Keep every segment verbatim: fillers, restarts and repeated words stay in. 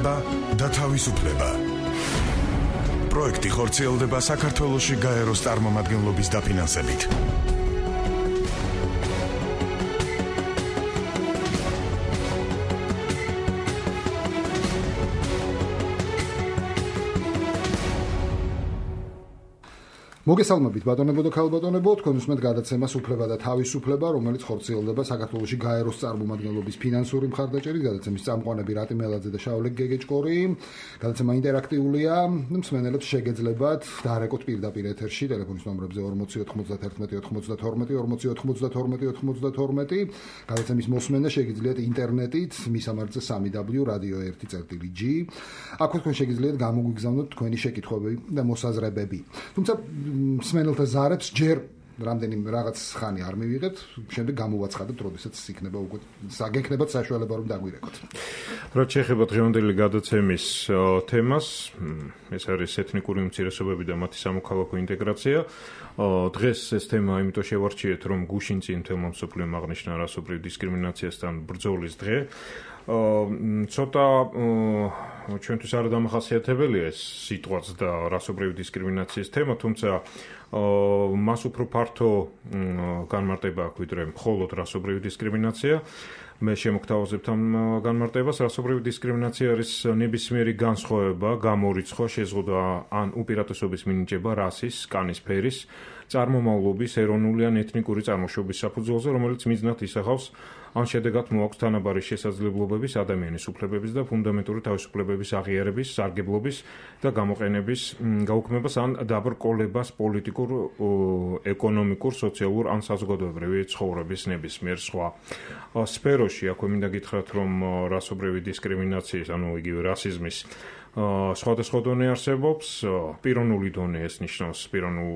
განათლება და თავისუფლება. პროექტი ხორციელდება საქართველოში გაეროს წარმომადგენლობის დაფინანსებით. მოგესალმებით ბატონებო და ქალბატონებო, თქვენ უსმენთ გადაცემას უფლება და თავისუფლება, რომელიც ხორციელდება საქართველოში გაეროს წარმომადგენლობის ფინანსური მხარდაჭერით. გადაცემის წამყვანები რატი მელაძე და შავლე გეგეჭკორი. გადაცემა ინტერაქტიულია, მსმენელებს შეგეძლებათ დარეკოთ პირდაპირ ეთერში ტელეფონის ნომრებზე ორმოცი ოთხმოცდათერთმეტი ოცდათორმეტი ორმოცი ოთხმოცდათორმეტი ოცდათორმეტი. გადაცემის მოსმენა შეგიძლიათ ინტერნეტით, მისამართზე სამი დაბლიუ რადიო ერთი წერტილი ჯი. აქვე თქვენ შეგიძლიათ გამოგვიგზავნოთ თქვენი შეკითხვები და მოსაზრებები. თუმცა მსმენელთა ზარებს ჯერ რამდენიმე რაღაც ხანი არ მივიღებთ, შემდეგ გამოვაცხადოთ, როდესაც იქნება უკვე საგექნებათ საშუალება რომ დაგვირეკოთ. რაც შეეხება დღევანდელი გადაცემის თემას, ეს არის ეთნიკური უმცირესობები და მათი სამოქალაქო ინტეგრაცია. დღეს ეს თემა იმიტომ შევარჩიეთ, რომ გუშინ წინ თემამ მსოფლიომ აღნიშნა რასობრივ დისკრიმინაციასთან ბრძოლის დღე. ცოტა ჩვენთვის არ დამახასიათებელია ეს სიტყვაც და რასობრივი დისკრიმინაციის თემა, თუმცა მას უფრო ფართო განმარტება აქვს ვიდრე მხოლოდ რასობრივი დისკრიმინაცია. მე შემოგთავაზებთ ამ განმარტებას. რასობრივი დისკრიმინაცია არის ნებისმიერი განსხვავება, გამორიცხვა, შეზღუდვა ან უპირატესობის მინიჭება რასის, კანის ფერის, წარმომავლობის, ეროვნული ან ეთნიკური წარმოშობის საფუძველზე, რომელიც მიზნად ისახავს ან შედეგად მოაქვს თანაბარი შესაძლებლობების, ადამიანის უფლებების და ფუნდამენტური თავისუფლებების აღიარების, სარგებლობის და გამოყენების გაუქმებას ან დაბრკოლებას პოლიტიკურ, ეკონომიკურ, სოციალურ ან საზოგადოებრივი ცხოვრების ნებისმიერ სხვა სფეროში. აქვე მინდა გითხრათ, რომ რასობრივი დისკრიმინაციის, ანუ იგივე რასიზმის სხვადასხვა დონე არსებობს. პიროვნული დონე ეს ნიშნავს პიროვნულ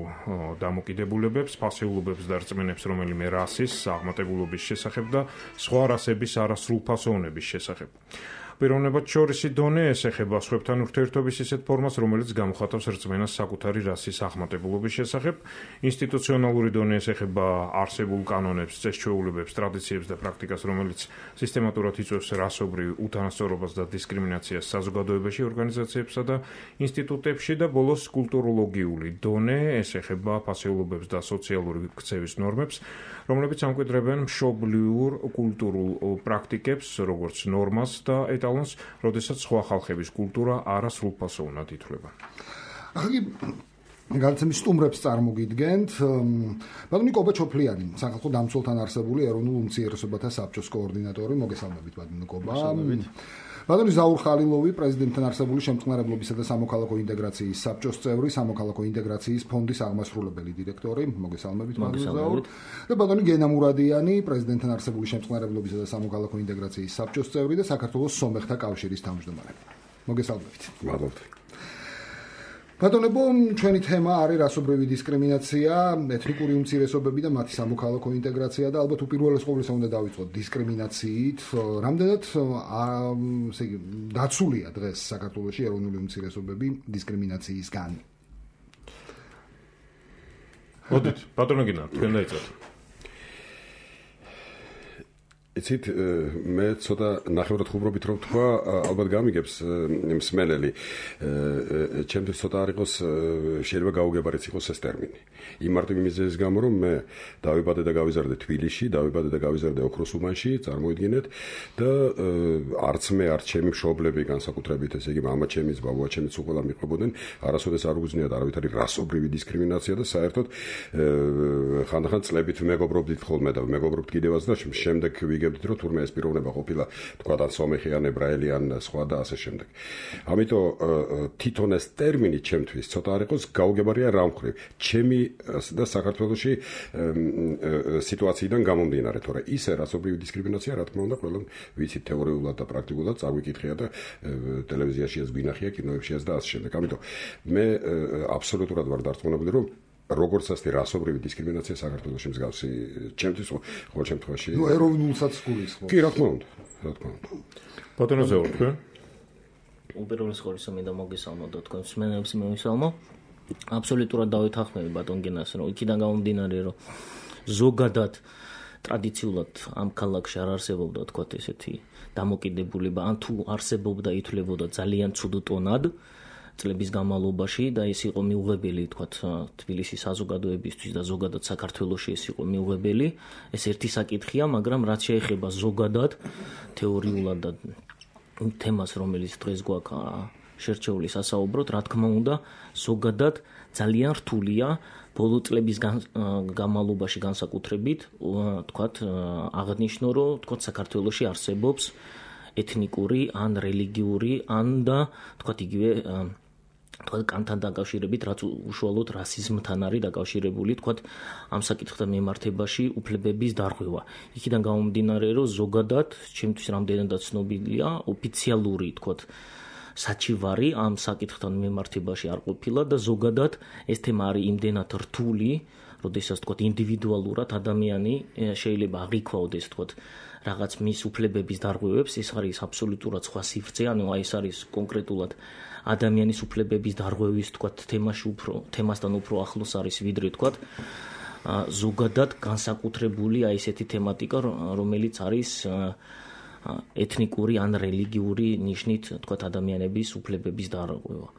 დამოკიდებულებებს, ფასეულობებს და რწმენებს რომელიმე რასის, აღმატებულობის შესახებ და სხვა რასების არასრულფასოვნების შესახებ. პიროვნებად შორისი დონე ეს ეხება სხვებთან ურთიერთობის ისეთ ფორმას, რომელიც გამოხატავს რწმენას საკუთარი რასის აღმატებულობის შესახებ. ინსტიტუციონალური დონე ეს ეხება არსებულ კანონებს, წესჩვეულებებს, ტრადიციებს და პრაქტიკას, რომელიც სისტემატურად იწვევს რასობრივ უთანასწორობას და დისკრიმინაციას საზოგადოებაში, ორგანიზაციებსა და ინსტიტუტებში და ბოლოს კულტუროლოგიური დონე ეს ეხება ფასეულობებს და სოციალური ქცევის ნორმებს, რომლებიც ამკვიდრებენ მშობლიურ კულტურულ პრაქტიკებს, როგორც ნორმას და ეტალონს, როდესაც სხვა ხალხების კულტურა არასრულფასოვნად ითვლება. ახლა გადაცემის სტუმრებს წარმოგიდგენთ. ბატონი კობა ჩოფლიანი, სახალხო დამცველთან არსებული ეროვნულ უმცირესობათა საბჭოს координаტორი. მოგესალმებით ბატონი კობა. ბატონი ზაურ ხალილოვი, პრეზიდენტთან არსებული შემწყნარებლობისა და სამოქალაქო ინტეგრაციის საბჭოს წევრი, სამოქალაქო ინტეგრაციის ფონდის აღმასრულებელი დირექტორი. მოგესალმებით ბატონი ზაურ. და ბატონი გენა მურადიანი, პრეზიდენტთან არსებული შემწყნარებლობისა და სამოქალაქო ინტეგრაციის საბჭოს წევრი და საქართველოს სომეხთა კავშირის თავმჯდომარე. მოგესალმებით. მადლობთ. ბატონებო, ჩვენი თემა არის რასობრივი დისკრიმინაცია, ეთნიკური უმცირესობები და მათი სამოქალაქო ინტეგრაცია და ალბათ უპირველეს ყოვლისა უნდა დავიწყოთ დისკრიმინაციით. რამდენად ესე იგი დაცულია დღეს საქართველოში ეროვნული უმცირესობები დისკრიმინაციისგან? მოდით, ბატონო გინა, თქვენ დაიწყოთ. იცით, მე ცოტა ნახევრად ხუმრობით რომ თქვა, ალბათ გამიგებს მსმენელი. ჩემთვის ცოტა არ იყოს, შეიძლება გაუგებარიც იყოს ეს ტერმინი. იმ მარტივი მიზეზის გამო, რომ მე დავიბადე და გავიზარდე თბილისში, დავიბადე და გავიზარდე ოქროს უბანში, წარმოიდგინეთ და არც მე, არც ჩემი მშობლები, განსაკუთრებით ესე იგი მამა ჩემიც, ბაბუა ჩემიც უყოლა მიყვებოდნენ, არასოდეს არ უგზნიათ არავითარი რასობრივი დისკრიმინაცია და საერთოდ ხანდახან წლებით მეგობრობდით ხოლმე და მეგობრობთ კიდევაც და შემდეგ ვიგებდით, რომ თურმე ეს პიროვნება ყოფილა თქვა და სომეხი ან ებრაელი ან სხვა და ასე შემდეგ. ამიტომ თვითონ ეს ტერმინი ჩემთვის ცოტა არ იყოს გაუგებარია რა მხრივ. ჩემი და საქართველოში სიტუაციიდან გამომდინარე, თორე ისე რასობრივი დისკრიმინაცია, რა თქმა უნდა, ყველამ ვიცით თეორიულად და პრაქტიკულად წაგვიკითხია და ტელევიზიაშიაც გვინახია, კინოებშიაც და ასე შემდეგ. ამიტომ მე აბსოლუტურად ვარ დარწმუნებული, რომ როგორც ასეთი რასობრივი დისკრიმინაცია საქართველოში მსგავსი ჩემთვის ყოველ შემთხვევაში. ნუ ეროვნულსაც გულისხმობ. კი, რა თქმა უნდა, რა თქმა უნდა. ბატონო ზეურ, თქვენ? უპირველეს ყოვლისა მინდა მოგესალმო და თქვენ მსმენელებს მივისალმო. აბსოლუტურად დავითანხმები ბატონ გენას, რომ იქიდან გამომდინარე, რომ ზოგადად ტრადიციულად ამ ქალაქში არ არსებობდა თქვა ესეთი დამოკიდებულება, ან თუ არსებობდა ითვლებოდა ძალიან ცუდ ტონად წლების განმავლობაში და ეს იყო მიუღებელი თქვა თბილისის საზოგადოებისთვის და ზოგადად საქართველოში ეს იყო მიუღებელი. ეს ერთი საკითხია, მაგრამ რაც შეეხება ზოგადად თეორიულად და თემას, რომელიც დღეს გვაქვს შერჩეული სასაუბროდ, რა თქმა უნდა, ზოგადად ძალიან რთულია ბოლო წლების განმავლობაში განსაკუთრებით, თქვათ, აღნიშნო, რომ თქვათ საქართველოში არსებობს ეთნიკური ან რელიგიური ან და თქვათ იგივე თქვათ კანთან დაკავშირებით, რაც უშუალოდ რასიზმთან არის დაკავშირებული, თქვათ ამ საკითხთან მიმართებაში უფლებების დარღვევა. იქიდან გამომდინარე, რომ ზოგადად, ჩემთვის რამდენადაც ცნობილია, ოფიციალური, თქვათ, საჩივარი ამ საკითხთან მიმართებაში არ ყოფილა და ზოგადად ეს თემა არის იმდენად რთული, როდესაც თქვათ ინდივიდუალურად ადამიანი შეიძლება აღიქვაოდეს თქვათ რაღაც მის უფლებების დარღვევებს, ეს არის აბსოლუტურად სხვა სივრცე, ანუ აი ეს არის კონკრეტულად ადამიანის უფლებების დარღვევის თქვათ თემაში უფრო თემასთან უფრო ახლოს არის ვიდრე თქვათ ზოგადად განსაკუთრებული აი ესეთი თემატიკა, რომელიც არის ეთნიკური ან რელიგიური ნიშნით თქვათ ადამიანების უფლებების დარღვევა.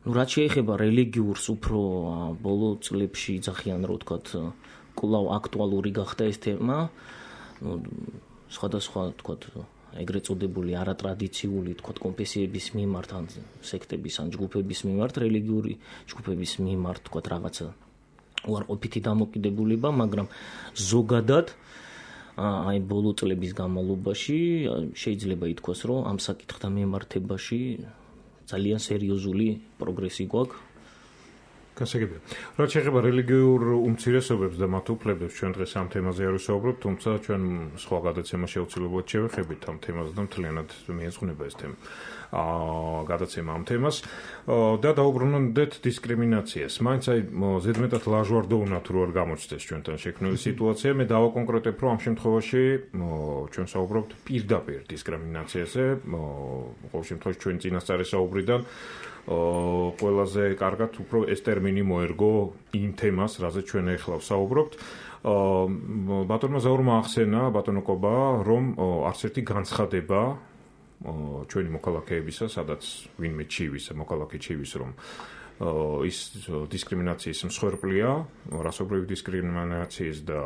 ნუ რაც შეეხება რელიგიურს, უფრო ბოლო წლებში ძახიან რომ თქვათ კვლავ აქტუალური გახდა ეს თემა. ნუ სხვადასხვა თქვათ ეგრეთ წოდებული არატრადიციული თქვათ კონფესიების მიმართ ან სექტების ან ჯგუფების მიმართ, რელიგიური ჯგუფების მიმართ თქვათ რაღაცა უარყოფითი დამოკიდებულება, მაგრამ ზოგადად აი ბოლო წლების განმავლობაში შეიძლება ითქვას, რომ ამ საკითხთან მიმართებაში ძალიან სერიოზული პროგრესი გვაქვს. გასაგებია. რაც შეეხება რელიგიურ უმცირესობებს და მათ უფლებებს, ჩვენ დღეს ამ თემაზე არ ვისაუბრებთ, თუმცა ჩვენ სხვა გადაცემა შეუცვლებლად შევეხებით ამ თემაზე და მთლიანად მიეძღვნება ეს თემა. აა გადაცემა ამ თემას და დაუბრუნდეთ დისკრიმინაციას. მაინც აი ზედმეტად ლაჟვარდოუნად რო არ გამოჩნდეს ჩვენთან შექმნილი სიტუაცია, მე დავაკონკრეტებ, რომ ამ შემთხვევაში ჩვენ საუბრობთ პირდაპირ დისკრიმინაციაზე, ყოველ შემთხვევაში ჩვენ წინასწარი საუბრიდან ყველაზე კარგად უფრო ეს ტერმინი მოერგო იმ თემას, რაზეც ჩვენ ახლა ვსაუბრობთ. ბატონმა ზაურმა ახსენა, ბატონო კობა, რომ არც ერთი განცხადება ჩვენი მოქალაქეებისა, სადაც ვინმე ჩივის, მოქალაქე ჩივის, რომ ის დისკრიმინაციის მსხვერპლია, რასობრივი დისკრიმინაციის და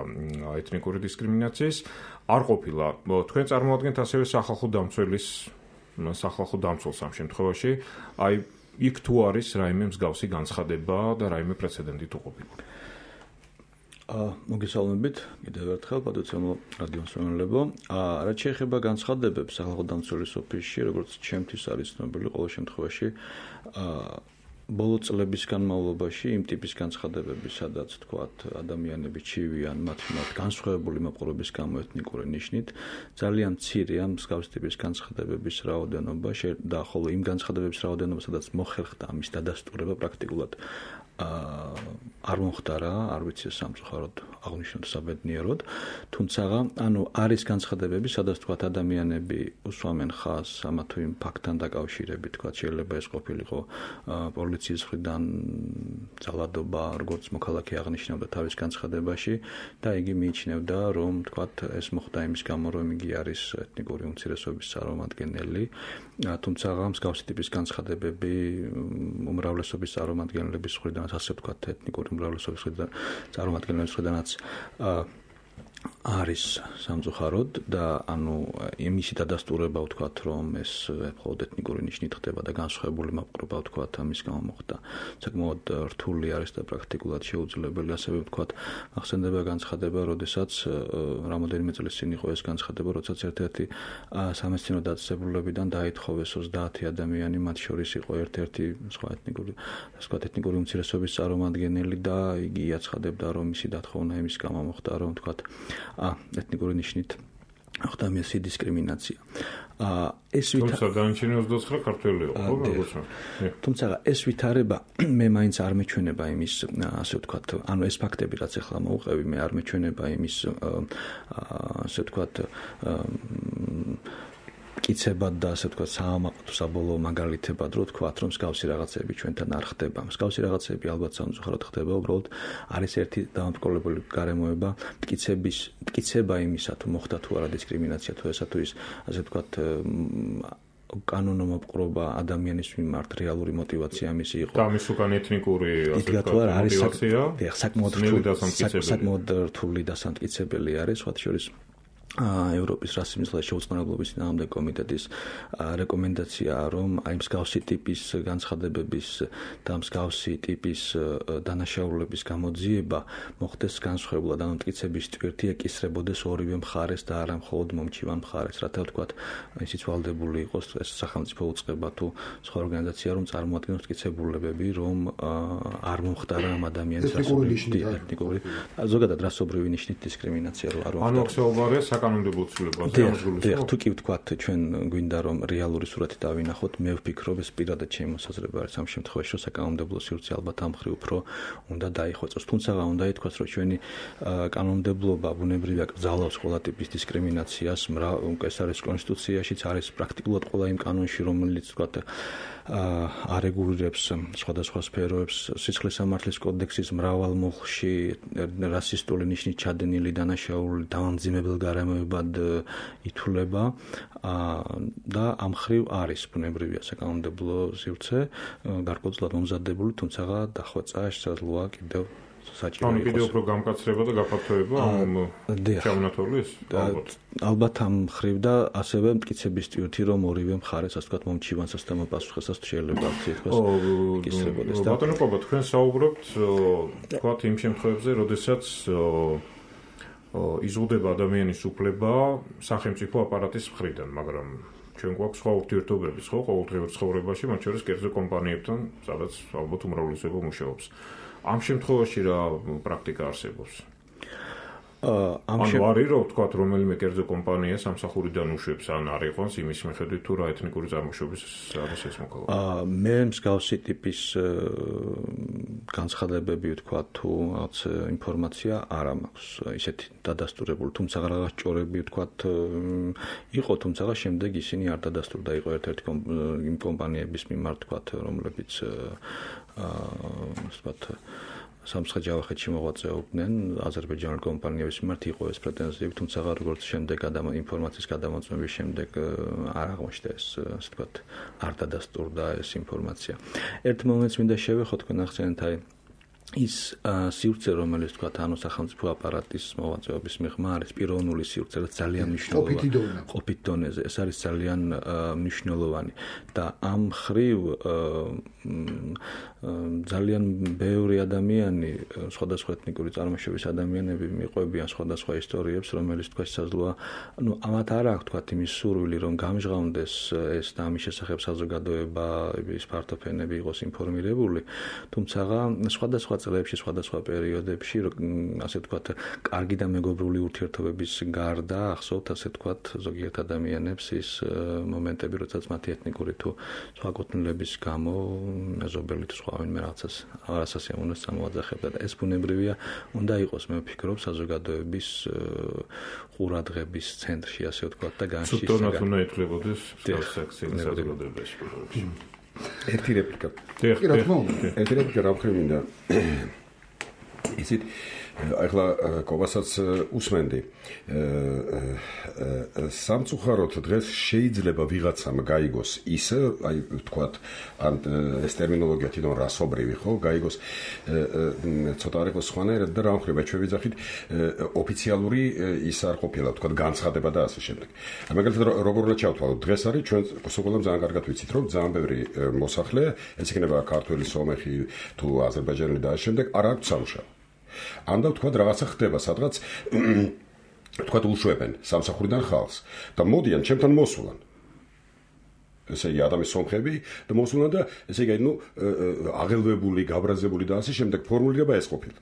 ეთნიკური დისკრიმინაციის არ ყოფილა. თქვენ წარმოადგენთ ასევე სახალხო დამცველის სახალხო დამცველს ამ შემთხვევაში, აი იქ თუ არის რაიმე მსგავსი განცხადება და რაიმე პრეცედენტი თუ ყოფილა. აა მოგესალმებით, კიდევ ერთხელ პატუცემლო რადიო მსმენელებო. აა რაც შეეხება განცხადებებს სახალხო დამცველის ოფისში, როგორც ჩემთვის არის ცნობილი, ყოველ შემთხვევაში აა ბოლო წლების განმავლობაში იმ ტიპის განცხადებები, სადაც თქვათ ადამიანები ჩივიან მათ მათ განსხვავებული მოპყრობის გამო ეთნიკური ნიშნით, ძალიან მცირეა მსგავსი ტიპის განცხადებების რაოდენობა და ხოლო იმ განცხადებების რაოდენობა, სადაც მოხერხდა ამის დადასტურება პრაქტიკულად აა არ მოხდარა, არ ვიცი სამწუხაროდ აღნიშნოთ საბედნიეროდ, თუმცა ანუ არის განცხადებები, სადაც თქვათ ადამიანები უსვამენ ხაზს ამა თუ იმ ფაქტთან დაკავშირებით, თქვათ შეიძლება ეს ყოფილიყო პოლიციის მხრიდან ძალადობა, როგორც მოქალაქე აღნიშნავდა თავის განცხადებაში და იგი მიიჩნევდა, რომ თქვათ ეს მოხდა იმის გამო, რომ იგი არის ეთნიკური უმცირესობის წარმომადგენელი, თუმცა მსგავსი ტიპის განცხადებები უმრავლესობის წარმომადგენლების მხრიდან ასე ვთქვათ ეთნიკური უმრავლესობის მხრიდან წარმომადგენლების მხრიდანაც არის სამწუხაროდ და ანუ იმისი დადასტურება ვთქვათ, რომ ეს მხოლოდ ეთნიკური ნიშნით ხდება და განსხვავებული მოპყრობა ვთქვათ ამის გამო მოხდა. საკმაოდ რთული არის და პრაქტიკულად შეუძლებელი, ასევე ვთქვათ, ახსენდება განცხადება, როდესაც რამოდენიმე წლის წინ იყო ეს განცხადება, როდესაც ერთ-ერთი სამეცნიერო დაწესებულებიდან დაითხოვეს ოცდაათი ადამიანი, მათ შორის იყო ერთ-ერთი სხვა ეთნიკური, ასე ვთქვათ, ეთნიკური უმცირესობის წარმომადგენელი და იგი იაცხადებდა, რომ მისი დათხოვნა იმის გამო მოხდა, რომ ვთქვათ ა ეთნიკური ნიშნით ხდა მისი დისკრიმინაცია. ა ეს თუმცა განჩინე ოცდაოთხი ქართველია, ხო, როგორც თუმცა ეს ვითარება მე მაინც არ მეჩვენება იმის, ასე ვთქვათ, ანუ ეს ფაქტები, რაც ახლა მოუყევი, მე არ მეჩვენება იმის, ასე ვთქვათ, მტკიცებად და ასე ვთქვათ საამაყო საბოლოო მაგალითებად რო ვთქვათ, რომ მსგავსი რაღაცები ჩვენთან არ ხდება. მსგავსი რაღაცები ალბათ სამწუხაროდ ხდება, უბრალოდ არის ერთი დამბრკოლებული გარემოება, მტკიცების მტკიცება იმისა, თუ მოხდა თუ არა დისკრიმინაცია თუ ესა თუ ის, ასე ვთქვათ კანონო მოპყრობა ადამიანის მიმართ რეალური мотиваცია მისი იყო. და ამის უკან ეთნიკური ასე ვთქვათ мотиваცია. საკმაოდ რთული და სამტკიცებელი არის, სხვათა შორის ევროპის რასიზმის შეუწყნებლობის წინააღმდეგ კომიტეტის რეკომენდაციაა, რომ აი მსგავსი ტიპის განცხადებების და მსგავსი ტიპის დანაშაულების გამოძიება მოხდეს განსხვავებულად, ანუ მტკიცების ტვირთი ეკისრებოდეს ორივე მხარეს და არა მხოლოდ მომჩივან მხარეს, რათა ვთქვათ, ისიც ვალდებული იყოს ეს სახელმწიფო უწყება თუ სხვა ორგანიზაცია, რომ წარმოადგენს მტკიცებულებები, რომ არ მომხდარა ამ ადამიანის ეთნიკური ზოგადად რასობრივი ნიშნით დისკრიმინაცია რო არ მომხდარა. საკანონმდებლო ცვლილებაზე ამსგულებს. თუ კი ვთქვათ, ჩვენ გვინდა რომ რეალური სურათი დავინახოთ, მე ვფიქრობ ეს პირადად ჩემი მოსაზრება არის ამ შემთხვევაში, რომ საკანონმდებლო სივრცე ალბათ ამ მხრივ უფრო უნდა დაიხვეწოს. თუმცა უნდა ითქვას, რომ ჩვენი კანონმდებლობა ბუნებრივია კრძალავს ყველა ტიპის დისკრიმინაციას, ეს არის კონსტიტუციაშიც, არის პრაქტიკულად ყველა იმ კანონში, რომელიც ვთქვათ არეგულირებს სხვადასხვა სფეროებს, სიცხლის სამართლის კოდექსის მრავალ მუხლში რასისტული ნიშნით ჩადენილი დანაშაული დამამძიმებელ გარემოებად ითვლება და ამ მხრივ არის ბუნებრივია საკანონმდებლო სივრცე გარკვეულწილად მომზადებული, თუმცა დახვეწა შესაძლოა კიდევ საჭირო იყოს. ანუ კიდევ უფრო გამკაცრება და გაფართოება ამ ჩაუნათოვლის? ალბათ ამ მხრივ და ასევე მტკიცების ტვირთი, რომ ორივე მხარეს ასე ვთქვათ მომჩივან სასტემო პასუხისას შეიძლება ითქვას იკისრებოდეს და ბატონო ყობა, თქვენ საუბრობთ ვთქვათ იმ შემთხვევებზე, როდესაც იზღუდება ადამიანის უფლება სახელმწიფო აპარატის მხრიდან, მაგრამ ჩვენ გვაქვს სხვა ურთიერთობები, ხო, ყოველდღიურ ცხოვრებაში, მათ შორის კერძო კომპანიებთან, სადაც ალბათ უმრავლესობა მუშაობს. ამ შემთხვევაში რა პრაქტიკა არსებობს? ამ შემთხვევაში რო ვთქვათ, რომელიმე კერძო კომპანია სამსახურიდან უშვებს ან არ იყვანს იმის მიხედვით თუ რა ეთნიკური წარმოშობის არის ეს მოქალაქე. მე მსგავსი ტიპის განცხადებები ვთქვათ თუ რაღაც ინფორმაცია არ მაქვს ისეთი დადასტურებული, თუმცა რაღაც ჭორები ვთქვათ იყო, თუმცა შემდეგ ისინი არ დადასტურდა, იყო ერთ-ერთი იმ კომპანიების მიმართ ვთქვათ, რომლებიც ასე ვთქვათ სამცხე-ჯავახეთში მოღვაწეობდნენ აზერბაიჯანული კომპანიების მიმართ იყო ეს პრეტენზიები, თუმცა როგორც შემდეგ ინფორმაციის გადამოწმების შემდეგ არ აღმოჩნდა ეს, ასე ვთქვათ, არ დადასტურდა ეს ინფორმაცია. ერთ მომენტს მინდა შევეხო თქვენ ახსენეთ აი ის სივრცე, რომელიც ვთქვათ, ანუ სახელმწიფო აპარატის მოღვაწეობის მიღმა არის პიროვნული სივრცე, რაც ძალიან მნიშვნელოვანი. ყოფით დონეზე, ეს არის ძალიან მნიშვნელოვანი და ამ მხრივ ძალიან ბევრი ადამიანი, სხვადასხვა ეთნიკური წარმოშობის ადამიანები მიყვებიან სხვადასხვა ისტორიებს, რომელიც თქვა შესაძლოა, ну, ამათ არ აქვს თქვა იმის სურვილი, რომ გამჟღავნდეს ეს და ამის შესახებ საზოგადოება, ის ფართოფენები იყოს ინფორმირებული, თუმცა სხვადასხვა წლებში, სხვადასხვა პერიოდებში, ასე ვთქვათ, კარგი და მეგობრული ურთიერთობების გარდა ახსოვთ, ასე ვთქვათ, ზოგიერთ ადამიანებს ის მომენტები, როდესაც მათი ეთნიკური თუ სხვა კუთვნილების გამო მეზობელი თუ სხვა ვინმე რაღაცას არასასიამოვნოს წამოაძახებდა და ეს ბუნებრივია, უნდა იყოს, მე ვფიქრობ, საზოგადოების ყურადღების ცენტრში, ასე ვთქვათ და განშიშება. ცუდად უნდა ითვლებოდეს საკციების საზოგადოებაში. ერთი რეპლიკა. კი, რა თქმა უნდა. ერთი რეპლიკა რა ვქრი მინდა. ისიც ახლა კობასაც უსმენდი. სამწუხაროდ დღეს შეიძლება ვიღაცამ გაიგოს ისე, აი ვთქვათ, ან ეს ტერმინოლოგია თვითონ რასობრივი, ხო, გაიგოს ცოტა არ იყოს სხვანაირად და რა ვხრივ ჩვენ ვიძახით ოფიციალური ის არ ყოფილა, ვთქვათ, განცხადება და ასე შემდეგ. მაგალითად როგორ უნდა ჩავთვალოთ, დღეს არის ჩვენ სულ ძალიან კარგად ვიცით, რომ ძალიან ბევრი მოსახლე, ეს იქნება ქართველი, სომეხი თუ აზერბაიჯანელი და ასე შემდეგ, არ აქვს სამუშაო. ან და ვთქვათ რაღაცა ხდება სადღაც ვთქვათ უშვებენ სამსახურიდან ხალხს და მოდიან ჩემთან მოსულან. ესე იგი ადამიანის სომხები და მოსულან და ესე იგი ნუ აღელვებული, გაბრაზებული და ასე შემდეგ ფორმულირება ეს ყოფილა.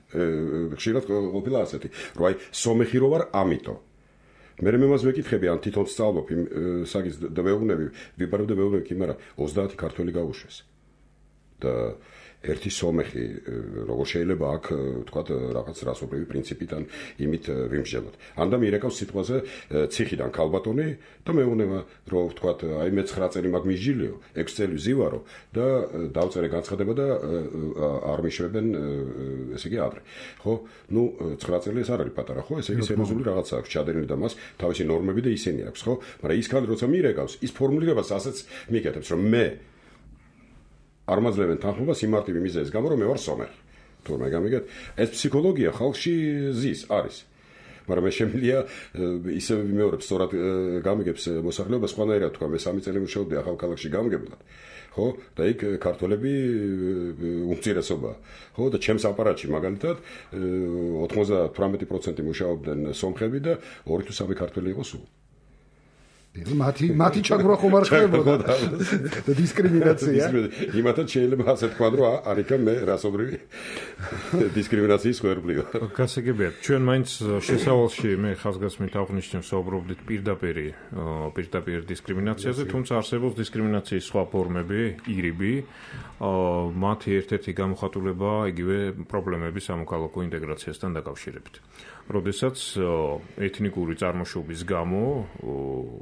ხშირად ყოფილა ასეთი, რომ აი სომეხი რო ვარ, ამიტომ. მე მე მას ვეკითხები, ან თვითონ სწავლობ იმ საგის და ვეუბნები, ვიბარავ და ვეუბნები, მაგრამ ოცდაათი ქართველი გაუშვეს. და ერთი სომეხი როგორ შეიძლება აქ თქვათ რაღაც რასობრივი პრინციპიდან იმით ვიმსჯელოთ. ან და მირეკავს სიტყვაზე ციხიდან ქალბატონი და მეუბნება რომ თქვათ აი მე ცხრა წელი მაგ მიჯილიო, ექვსი წელი ვზივარო და დავწერე განცხადება და არ მიშვებენ ესე იგი ადრე. ხო? ნუ ცხრა წელი ეს არ არის პატარა, ხო? ესე იგი სერიოზული რაღაცა აქვს ჩადენილი და მას თავისი ნორმები და ისინი აქვს, ხო? მაგრამ ის ქალი როცა მირეკავს, ის ფორმულირებას ასეც მიკეთებს, რომ მე არ მაძლევენ თანხმობას იმ მარტივი მიზეზის გამო, რომ მე ვარ სომეხი. თურმე გამიგეთ? ეს ფსიქოლოგია ხალხში ზის არის. მაგრამ მე შემიძლია ისე ვიმეორებ, სწორად გამიგებს მოსახლეობას სხვანაირად თქვა, მე სამი წელი მუშაობდი ახალ ქალაქში გამგებლად. ხო? და იქ ქართველები უმცირესობაა. ხო? და ჩემს აპარატში მაგალითად ოცდაათი პროცენტი მუშაობდნენ სომხები და ორი თუ სამი ქართველი იყო სულ. მათი მათი ჩაგვრა ხომ არ ხდებოდა და დისკრიმინაცია. იმათაც შეიძლება ასე თქვა, რომ არიქა მე რასობრივი დისკრიმინაციის ხერხი ვარ. გასაგებია, ჩვენ მაინც შესავალში მე ხაზგასმით აღვნიშნებ საუბრობდით პირდაპირ პირდაპირ დისკრიმინაციაზე, თუმცა არსებობს დისკრიმინაციის სხვა ფორმები, ირიბი, მათი ერთ-ერთი გამოხატულება იგივე პრობლემების სამოქალაქო ინტეგრაციასთან დაკავშირებით. როდესაც ეთნიკური წარმოშობის გამო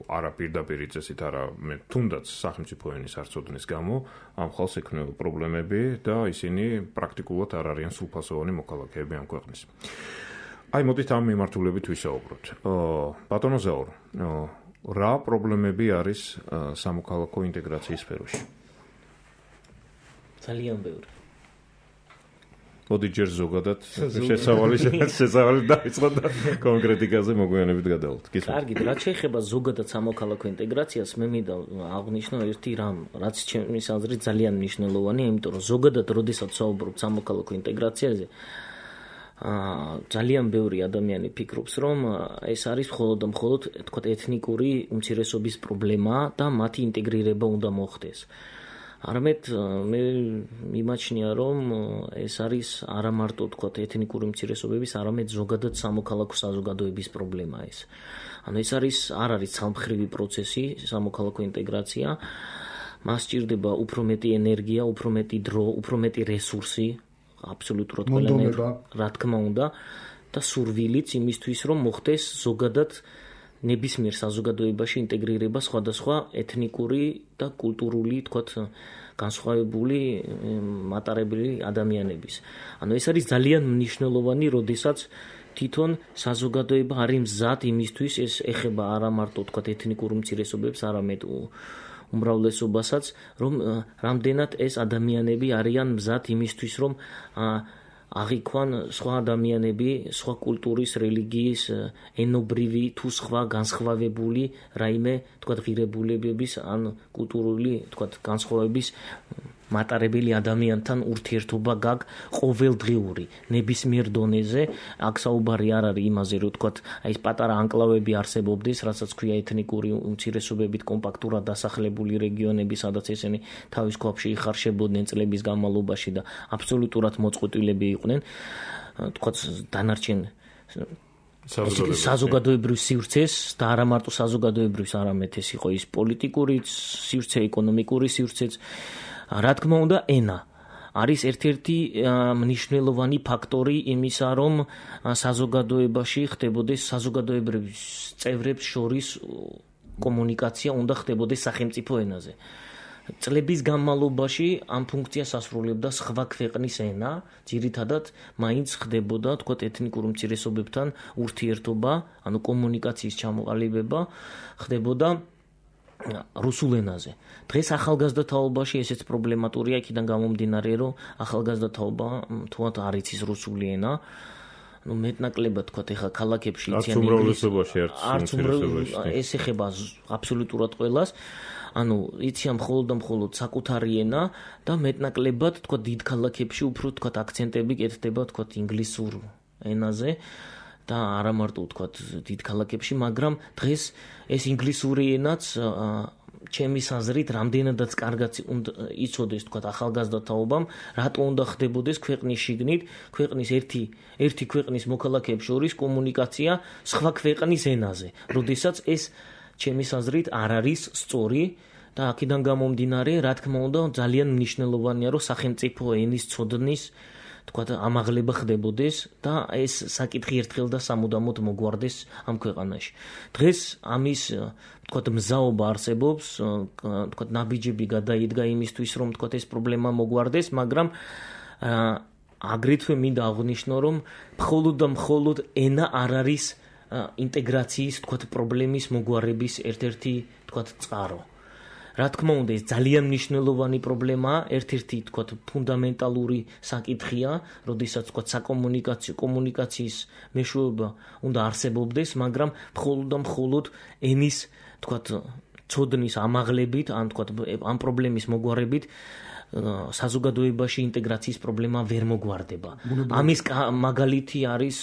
არა პირდაპირ წესით, არა მე თუნდაც სახელმწიფო ენის არწოდნის გამო ამ ხალხს ექნება პრობლემები და ისინი პრაქტიკულად არ არიან სრულფასოვანი მოქალაქეები ამ ქვეყნის. აი მოდით ამ მიმართულებით ვისაუბროთ. ბატონო ზაურ, რა პრობლემები არის სამოქალაქო ინტეგრაციის სფეროში? ძალიან ბევრი. მოდი ჯერ ზოგადად შესავალი შესავალი დაიწყო და კონკრეტიკაზე მოგვიანებით გადავალთ. კარგით, რაც შეეხება ზოგადად სამოქალაქო ინტეგრაციას, მე მინდა აღვნიშნო ერთი რამ, რაც ჩემის აზრით ძალიან მნიშვნელოვანია, იმიტომ რომ ზოგადად როდესაც საუბრობთ სამოქალაქო ინტეგრაციაზე, აა ძალიან ბევრი ადამიანი ფიქრობს, რომ ეს არის მხოლოდ და მხოლოდ თქვა ეთნიკური უმცირესობის პრობლემა და მათი ინტეგრირება უნდა მოხდეს. არამედ მე მიმაჩნია, რომ ეს არის არა მარტო თქვა ეთნიკური უმცირესობების, არამედ ზოგადად სამოქალაქო საზოგადოების პრობლემა ეს. ანუ ეს არის არ არის სამხრივი პროცესი, სამოქალაქო ინტეგრაცია. მას სჭირდება უფრო მეტი ენერგია, უფრო მეტი დრო, უფრო მეტი რესურსი, აბსოლუტურად ყველანაირი, რა თქმა უნდა, და სურვილიც იმისთვის, რომ მოხდეს ზოგადად ნებისმიერ საზოგადოებაში ინტეგრირება სხვადასხვა ეთნიკური და კულტურული, თქვათ, განსხვავებული მატარებელი ადამიანების. ანუ ეს არის ძალიან მნიშვნელოვანი, როდესაც თვითონ საზოგადოება არის მზად იმისთვის, ეს ეხება არა მარტო თქვათ ეთნიკურ უმცირესობებს, არამედ უმრავლესობასაც, რომ რამდენად ეს ადამიანები არიან მზად იმისთვის, რომ აღიქვან სხვა ადამიანები, სხვა კულტურის, რელიგიის, ენობრივი თუ სხვა განსხვავებული რაიმე, თქვათ, ღირებულებების ან კულტურული, თქვათ, განსხვავების მატარებელი ადამიანთან ურთიერთობა გაგ ყოველდღიური, ნებისმიერ დონეზე. აქ საუბარი არ არის იმაზე, რომ თქვათ, აი ეს პატარა ანკლავები არსებობდეს, რასაც ქვია ეთნიკური უმცირესობებით კომპაქტურად დასახლებული რეგიონები, სადაც ესენი თავის ქვაბში იხარშებოდნენ წლების განმავლობაში და აბსოლუტურად მოწყვეტილები იყვნენ, თქვათ, დანარჩენ საზოგადოებრივ სივრცეს და არა მარტო საზოგადოებრივს, არამედ ეს იყო ის პოლიტიკური სივრცე, ეკონომიკური სივრცეც. რა თქმა უნდა, ენა არის ერთ-ერთი მნიშვნელოვანი ფაქტორი იმისა, რომ საზოგადოებაში ხდებოდეს საზოგადოებრივ წევრებს შორის კომუნიკაცია უნდა ხდებოდეს სახელმწიფო ენაზე. წლების განმავლობაში ამ ფუნქციას ასრულებდა სხვა ქვეყნის ენა, ძირითადად მაინც ხდებოდა, თქვათ, ეთნიკურ უმცირესობებთან ურთიერთობა, ანუ კომუნიკაციის ჩამოყალიბება ხდებოდა რუსულ ენაზე. დღეს ახალგაზრდა თაობაში ესეც პრობლემატურია, იქიდან გამომდინარე, რომ ახალგაზრდა თაობა თუათ არ იცის რუსული ენა. ну მეტნაკლებად თქვა ეხა ქალაქებში იციან ინგლისურში არც ეს ეხება აბსოლუტურად ყველას. ანუ იციან მხოლოდ და მხოლოდ საკუთარი ენა და მეტნაკლებად თქვა დიდ ქალაქებში უფრო თქვა აქცენტები კეთდება თქვა ინგლისურ ენაზე და არა მარტო თქვა დიდ ქალაქებში, მაგრამ დღეს ეს ინგლისური ენაც ჩემის აზრით რამდენადაც კარგად იცოდეს თქვა ახალგაზრდა თაობამ, რატო უნდა ხდებოდეს ქვეყნის შიგნით, ქვეყნის ერთი ერთი ქვეყნის მოქალაქეებს შორის კომუნიკაცია სხვა ქვეყნის ენაზე, როდესაც ეს ჩემის აზრით არ არის სწორი და აქედან გამომდინარე, რა თქმა უნდა, ძალიან მნიშვნელოვანია, რომ სახელმწიფო ენის ცოდნის თქვათ ამაღლება ხდებოდეს და ეს საკითხი ერთხელ და სამუდამოდ მოგვარდეს ამ ქვეყანაში. დღეს ამის თქვათ მზაობა არსებობს, თქვათ ნაბიჯები გადაიდგა იმისთვის, რომ თქვათ ეს პრობლემა მოგვარდეს, მაგრამ აგრეთვე მინდა აღვნიშნო, რომ მხოლოდ და მხოლოდ ენა არ არის ინტეგრაციის თქვათ პრობლემის მოგვარების ერთ-ერთი თქვათ წყარო. რა თქმა უნდა, ეს ძალიან მნიშვნელოვანი პრობლემაა, ერთ-ერთი თქვათ ფუნდამენტალური საკითხია, როდესაც თქვათ საკომუნიკაციო კომუნიკაციის მეშვეობა უნდა არსებობდეს, მაგრამ მხოლოდ და მხოლოდ ენის თქვათ ცოდნის ამაღლებით, ან თქვათ ამ პრობლემის მოგვარებით საზოგადოებაში ინტეგრაციის პრობლემა ვერ მოგვარდება. ამის მაგალითი არის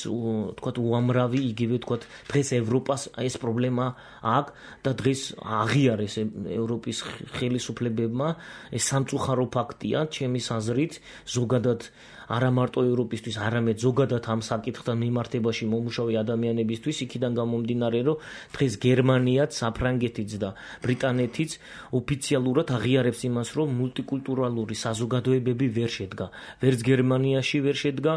თქვათ უამრავი, იგივე თქვათ დღეს ევროპას ეს პრობლემა აქვს და დღეს აღიარეს ევროპის ხელისუფლებებმა, ეს სამწუხარო ფაქტია, ჩემის აზრით, ზოგადად არა მარტო ევროპისთვის, არამედ ზოგადად ამ საკითხთან მიმართებაში მომუშავე ადამიანებისთვის, იქიდან გამომდინარე, რომ დღეს გერმანიაც, საფრანგეთიც და ბრიტანეთიც ოფიციალურად აღიარებს იმას, რომ მულტიკულტურალური საზოგადოებები ვერ შედგა. ვერც გერმანიაში ვერ შედგა,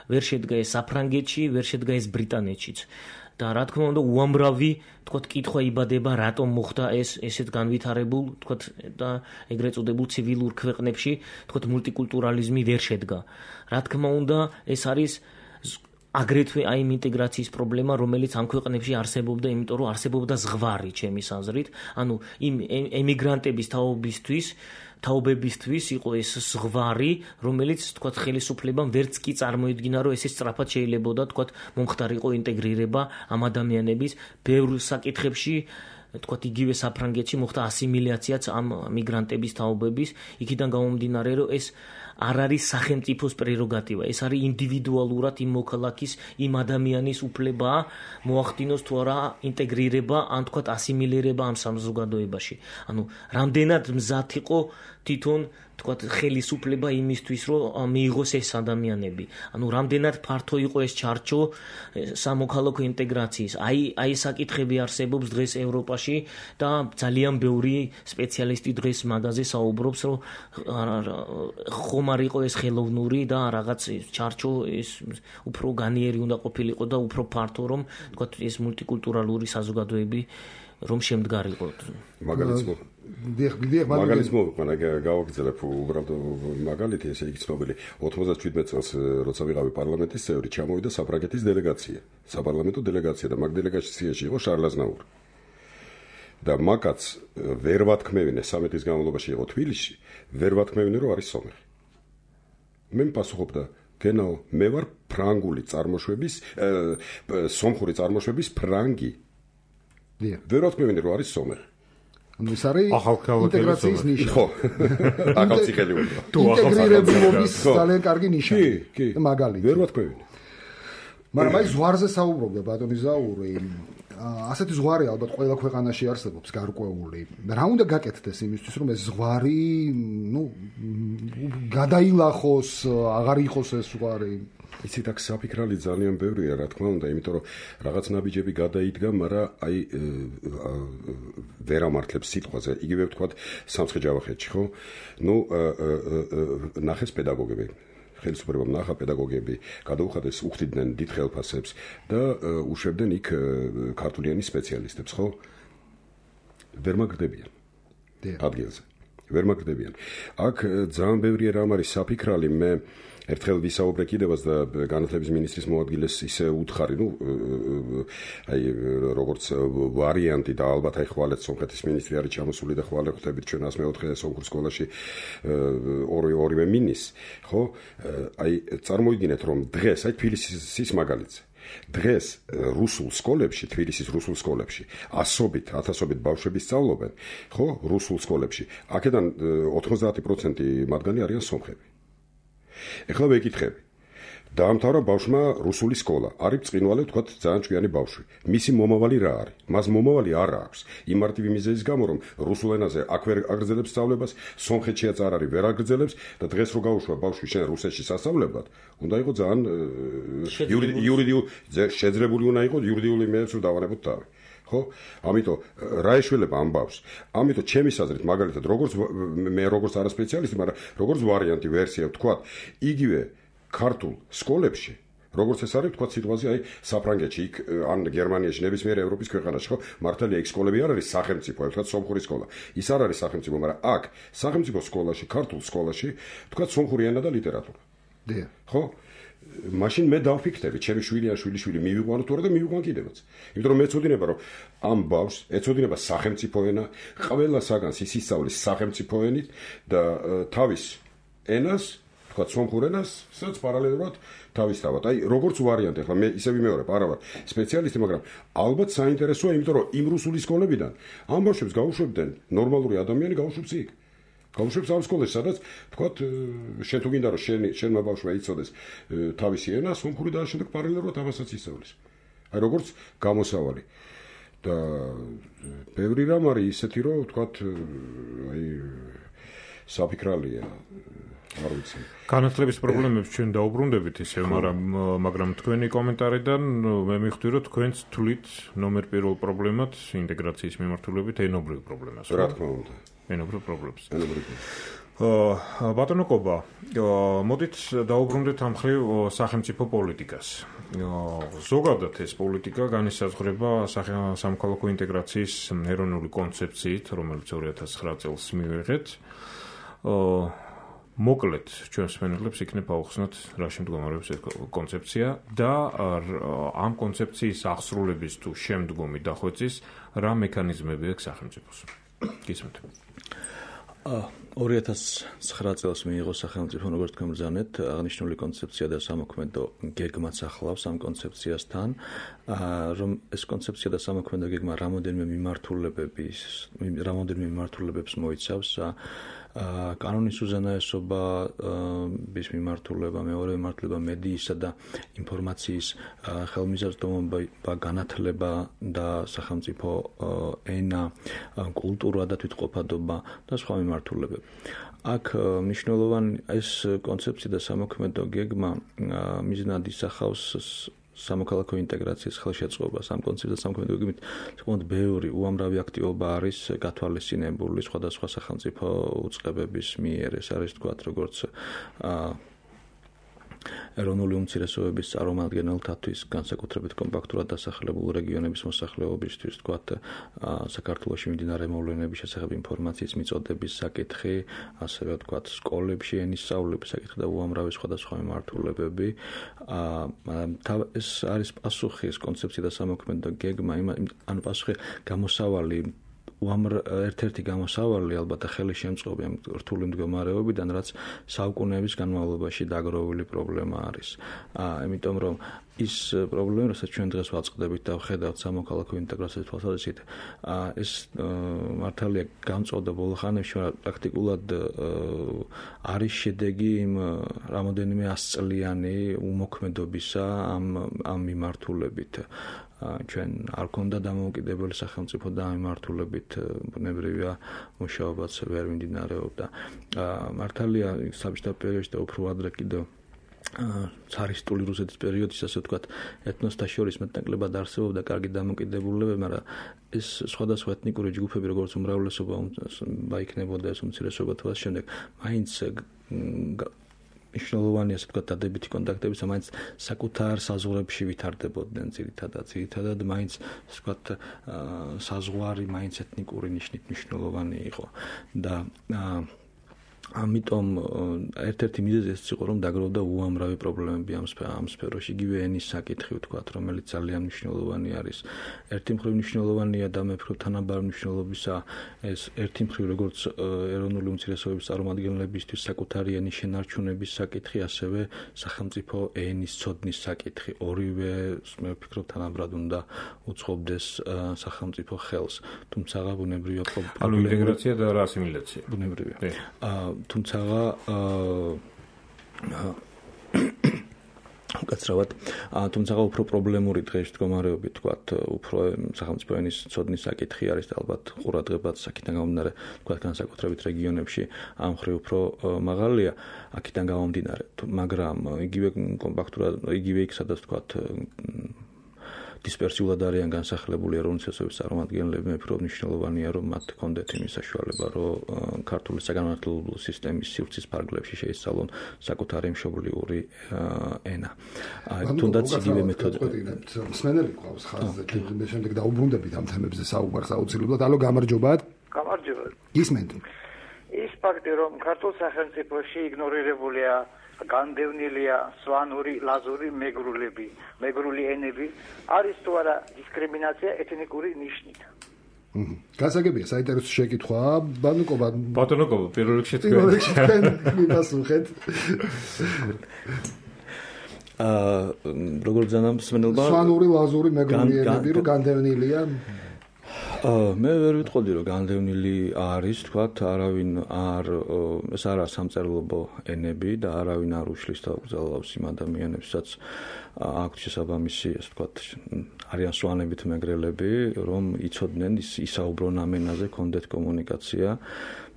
ვერ შედგა ეს საფრანგეთში, ვერ შედგა ეს ბრიტანეთშიც. და რა თქმა უნდა, უამრავი თქვათ კითხვა იბადება, რატომ მოხდა ეს ესეთ განვითარებულ, თქვათ და ეგრეთ წოდებულ ცივილურ ქვეყნებში, თქვათ მულტიკულტურალიზმი ვერ შედგა. რა თქმა უნდა, ეს არის აგრეთვე აი იმ ინტეგრაციის პრობლემა, რომელიც ამ ქვეყნებში არსებობდა, იმიტომ რომ არსებობდა ზღვარი, ჩემის აზრით, ანუ იმ ემიგრანტების თაობისთვის თაობებისთვის იყო ეს ზღვარი, რომელიც თქვათ ხელისუფლებამ ვერც კი წარმოედგინა, რომ ესე სწრაფად შეიძლებოდა თქვათ მომხდარიყო ინტეგრირება ამ ადამიანების ბევრ საკითხებში, თქვათ იგივე საფრანგეთში მოხდა ასიმილაციაც ამ მიგრანტების თაობების, იქიდან გამომდინარე, რომ ეს არ არის სახელმწიფოს პრეროგატივა, ეს არის ინდივიდუალურად იმ მოქალაქის, იმ ადამიანის უფლებაა მოახდინოს თუ არა ინტეგრირება, ან თქვათ ასიმილირება ამ საზოგადოებაში. ანუ რამდენად მზად იყო თვითონ თქვათ ხელისუფლება იმისთვის, რომ მიიღოს ეს ადამიანები. ანუ რამდენად ფართო იყო ეს ჩარჩო სამოქალაქო ინტეგრაციის. აი აი საკითხები არსებობს დღეს ევროპაში და ძალიან ბევრი სპეციალისტი დღეს მაგაზე საუბრობს, რომ ხომ არ იყო ეს ხელოვნური და რაღაც ჩარჩო ეს უფრო განიერი უნდა ყოფილიყო და უფრო ფართო, რომ თქვათ ეს მულტიკულტურალური საზოგადოები რომ შემდგარიყო. მაგალითს მო დიახ, დიახ, მაგალითს მოვიყვანა, გავაგრძელებ უბრალოდ მაგალითი, ესე იგი ცნობილი ოთხმოცდაშვიდმეტ წელს, როცა ვიყავი პარლამენტის წევრი, ჩამოვიდა საფრანგეთის დელეგაცია, საპარლამენტო დელეგაცია და მაგ დელეგაციაში იყო შარლ აზნაური. და მაგაც ვერ ვათქმევინე, სამი დღის განმავლობაში იყო თბილისში, ვერ ვათქმევინე, რომ არის სომეხი. მე მპასუხობდა, გენაო, მე ვარ ფრანგული წარმოშობის, სომხური წარმოშობის ფრანგი. ვერ ვათქმევინე, რომ არის სომეხი. ეს არის ინტეგრაციის ნიშა. ხო. ახალციხელი უნდა. ინტეგრირებულობის ძალიან კარგი ნიშა. კი, კი. მაგალითი. ვერ ვათქვევინე. მაგრამ აი ზღვარზე საუბრობდა ბატონი ზაური. ასეთი ზღვარი ალბათ ყველა ქვეყანაში არსებობს გარკვეული. რა უნდა გაკეთდეს იმისთვის, რომ ეს ზღვარი, ნუ, გადაილახოს, აღარ იყოს ეს ზღვარი? იცით, აქ საფიქრალი ძალიან ბევრია, რა თქმა უნდა, იმიტომ რომ რაღაც ნაბიჯები გადაიდგა, მაგრამ აი ვერ ამართლებს სიტყვაზე. იგივე ვთქვათ სამცხე-ჯავახეთში, ხო? ნუ ნახეს პედაგოგები. ხელისუფლებამ ნახა პედაგოგები, გადაუხადეს, უხდიდნენ დიდ ხელფასებს და უშვებდნენ იქ ქართული ენის სპეციალისტებს, ხო? ვერ მაგრდებიან. ადგილზე. ვერ მაგრდებიან. აქ ძალიან ბევრი რამ არის საფიქრალი, მე ერთხელ ვისაუბრე კიდევაც და განათლების მინისტრის მოადგილეს ისე უთხარი, ნუ აი როგორც ვარიანტი და ალბათ აი ხვალეთ სომხეთის მინისტრი არის ჩამოსული და ხვალე ხვდებით ჩვენ ას მეოთხე სომხურ სკოლაში ორი ორივე მინის, ხო? აი წარმოიდგინეთ, რომ დღეს აი თბილისის მაგალითზე დღეს რუსულ სკოლებში, თბილისის რუსულ სკოლებში ასობით, ათასობით ბავშვები სწავლობენ, ხო? რუსულ სკოლებში. აქედან ოთხმოცდაათი პროცენტი მათგანი არიან სომხები. ეხლა ვეკითხები. დაამთავრა ბავშვმა რუსული სკოლა. არის ბრწყინვალე, ვთქვათ, ძალიან ჭკვიანი ბავშვი. მისი მომავალი რა არის? მას მომავალი არ აქვს. იმ მარტივი მიზეზის გამო, რომ რუსულ ენაზე აქ ვერ აგრძელებს სწავლებას, სომხეთშიაც არ არის, ვერ აგრძელებს და დღეს რო გაუშვა ბავშვი შენ რუსეთში სასწავლებლად, უნდა იყოს ძალიან იურიდიული შეძლებული უნდა იყოს იურიდიული იმედებს რომ დავანებოთ თავი. ხო? ამიტომ რა ეშველება ამბავს? ამიტომ ჩემი აზრით მაგალითად როგორც მე როგორც არასპეციალისტი, მაგრამ როგორც ვარიანტი ვერსია ვთქვა, იგივე ქართულ სკოლებში როგორც ეს არის თქვა სიტყვაზე აი საფრანგეთში იქ ან გერმანიაში ნებისმიერ ევროპის ქვეყანაში ხო მართალია იქ სკოლები არ არის სახელმწიფო თქვა სომხური სკოლა ის არ არის სახელმწიფო მაგრამ აქ სახელმწიფო სკოლაში ქართულ სკოლაში თქვა სომხური ენა და ლიტერატურა დიახ ხო მაშინ მე დავფიქრდები ჩემი შვილი ან შვილიშვილი მივიყვანო თუ არა და მივიყვან კიდევაც იმიტომ რომ მეცოდინება რომ ამ ბავშვს ეცოდინება სახელმწიფო ენა ყველა საგანს ის ისწავლის სახელმწიფო ენით და თავის ენას თქვა სომხურ ენას სადაც პარალელურად თავისთავად აი როგორც ვარიანტი ახლა მე ისე ვიმეორებ არა ვარ სპეციალისტი მაგრამ ალბათ საინტერესოა იმიტომ რომ იმ რუსული სკოლებიდან ამ ბავშვებს გაუშვებდნენ ნორმალური ადამიანი გაუშვებს იქ გაუშვებს ამ სკოლაში სადაც თქვა შენ თუ გინდა რომ შენ შენმა ბავშვმა იცოდეს თავისი ენა სომხური და შემდეგ პარალელურად ამასაც ისწავლის აი როგორც გამოსავალი და ბევრი რამ არის ისეთი რომ თქვა აი საფიქრალია არ ვიცი. განათლების პრობლემებს ჩვენ დაუბრუნდებით ისევ, მაგრამ მაგრამ თქვენი კომენტარიდან მე მივხვდი, რომ თქვენც თვლით ნომერ პირველ პრობლემად ინტეგრაციის მიმართულებით ენობრივ პრობლემას. რა თქმა უნდა. ენობრივ პრობლემს. ენობრივ. აა ბატონო კობა, მოდით დაუბრუნდეთ ამ მხრივ სახელმწიფო პოლიტიკას. ზოგადად ეს პოლიტიკა განისაზღვრება სამოქალაქო ინტეგრაციის ეროვნული კონცეფციით, რომელიც ორი ათას ცხრა წელს მივიღეთ. აა მოკლედ ჩვენს მენელებს იქნებ აუხსნათ რა შემდგომარეობს ეს კონცეფცია და ამ კონცეფციის აღსრულების თუ შემდგომი დახვეწის რა მექანიზმები აქვს სახელმწიფოს. გისმენთ. ორი ათას ცხრა წელს მიიღო სახელმწიფო როგორც თქვენ ბრძანეთ აღნიშნული კონცეფცია და სამოქმედო გეგმაც ახლავს ამ კონცეფციასთან რომ ეს კონცეფცია და სამოქმედო გეგმა რამოდენიმე მიმართულებების რამოდენიმე მიმართულებებს მოიცავს კანონის უზენაესობის მიმართულება, მეორე მიმართულება მედიისა და ინფორმაციის ხელმისაწვდომობა, განათლება და სახელმწიფო ენა, კულტურა და თვითყოფადობა და სხვა მიმართულებები. აქ მნიშვნელოვანი ეს კონცეფცია და სამოქმედო გეგმა მიზნად ისახავს სამოქალაქო ინტეგრაციის ხელშეწყობას ამ კონცეფციას სამოქმედო გეგმით საკმაოდ ბევრი უამრავი აქტივობა არის გათვალისწინებული სხვადასხვა სახელმწიფო უწყებების მიერ ეს არის თქვათ როგორც ეროვნული უმცირესობების წარმომადგენელთათვის განსაკუთრებით კომპაქტურად დასახლებულ რეგიონების მოსახლეობისთვის თქვათ საქართველოში მიმდინარე მოვლენების შესახებ ინფორმაციის მიწოდების საკითხი, ასევე თქვათ სკოლებში ენის სწავლების საკითხი და უამრავი სხვადასხვა მიმართულებები. ეს არის პასუხი ეს კონცეფცია და სამოქმედო გეგმა, ანუ პასუხი გამოსავალი ერთ-ერთი გამოსავალი ალბათ ხელი შემწყობი ამ რთული მდგომარეობიდან, რაც საუკუნეების განმავლობაში დაგროვილი პრობლემა არის. ამიტომ რომ ის პრობლემა, რასაც ჩვენ დღეს ვაწყდებით და ვხედავთ სამოქალაქო ინტეგრაციის თვალსაზრისით, ეს მართალია გამწოდა ბოლო ხანებში, მაგრამ პრაქტიკულად არის შედეგი იმ რამოდენიმე ასწლიანი უმოქმედობისა ამ ამ მიმართულებით. ჩვენ არ ქონდა დამოუკიდებელი სახელმწიფო და ამ მიმართულებით ბუნებრივია მუშაობაც ვერ მიმდინარეობდა. მართალია საბჭოთა პერიოდში და უფრო ადრე კიდევ цаრისტული რუსეთის პერიოდის ასე ვთქვათ ეთნოსთა შორის მეტნაკლებად არსებობდა კარგი დამოკიდებულებები, მაგრამ ეს სხვადასხვა ეთნიკური ჯგუფები როგორც უმრავლესობა იქნებოდა ეს უმცირესობა თუ ასე შემდეგ, მაინც მნიშვნელოვანი ასე ვთქვათ დადებითი კონტაქტები მაინც საკუთარ საზღვრებში ვითარდებოდნენ ძირითადად ძირითადად მაინც ასე ვთქვათ საზღვარი მაინც ეთნიკური ნიშნით მნიშვნელოვანი იყო და ამიტომ ერთ-ერთი მიზეზი ეს იყო რომ დაგროვდა უამრავი პრობლემები ამ ამ სფეროში იგივე ენის საკითხი ვთქვათ რომელიც ძალიან მნიშვნელოვანი არის ერთი მხრივ მნიშვნელოვანია და მე ვფიქრობ თანაბარი მნიშვნელობისა ეს ერთი მხრივ როგორც ეროვნული უმცირესობების წარმომადგენლებისთვის საკუთარი ენის შენარჩუნების საკითხი ასევე სახელმწიფო ენის ცოდნის საკითხი ორივე მე ვფიქრობ თანაბრად უნდა უწყობდეს სახელმწიფო ხელს თუმცა ბუნებრივია ანუ ინტეგრაცია და რა ასიმილაცია ბუნებრივია თუმცა უკაცრავად თუმცა უფრო პრობლემური დღეს მდგომარეობით თქვათ უფრო სახელმწიფო ენის ცოდნის საკითხი არის და ალბათ ყურადღებაც აქედან გამომდინარე თქვათ განსაკუთრებით რეგიონებში ამ ხრი უფრო მაღალია აქედან გამომდინარე მაგრამ იგივე კომპაქტურად იგივე იქ სადაც თქვათ დისპერსიულად არიან განსახლებული ეროვნული თესობის წარმომადგენლები, მე ვფიქრობ მნიშვნელოვანია რომ მათ ჰქონდეთ იმის საშუალება, რომ ქართული საგანმანათლებლო სისტემის სივრცის ფარგლებში შეისწავლონ საკუთარი მშობლიური ენა. თუნდაც იგივე მეთოდები. მსმენელი ყავს ხაზზე, მე შემდეგ დაუბრუნდებით ამ თემებზე საუბარს აუცილებლად. ალო, გამარჯობათ. გამარჯობათ. გისმენთ. ის ფაქტი, რომ ქართულ სახელმწიფოში იგნორირებულია განდევნილია სვანური, ლაზური მეგრულები, მეგრული ენები, არის თუ არა დისკრიმინაცია ეთნიკური ნიშნით. გასაგებია, საინტერესო შეკითხვა, ბატონიკობა. ბატონიკობა, პირველ რიგში თქვენ მივასუხეთ. აა, როგორ ზანამ მსმენელმა სვანური, ლაზური მეგრული ენები რო განდევნილია აა მე ვერ ვიტყოდი რომ განდევნილი არის, თქვათ, არავინ არ ეს არა სამწერლობო ენები და არავინ არ უშლის და უგზავნავს იმ ადამიანებსაც აქვთ შესაბამისი, ასე ვთქვათ, არიან სვანებით მეგრელები, რომ იცოდნენ ისაუბრონ ამ ენაზე, კონდეთ კომუნიკაცია.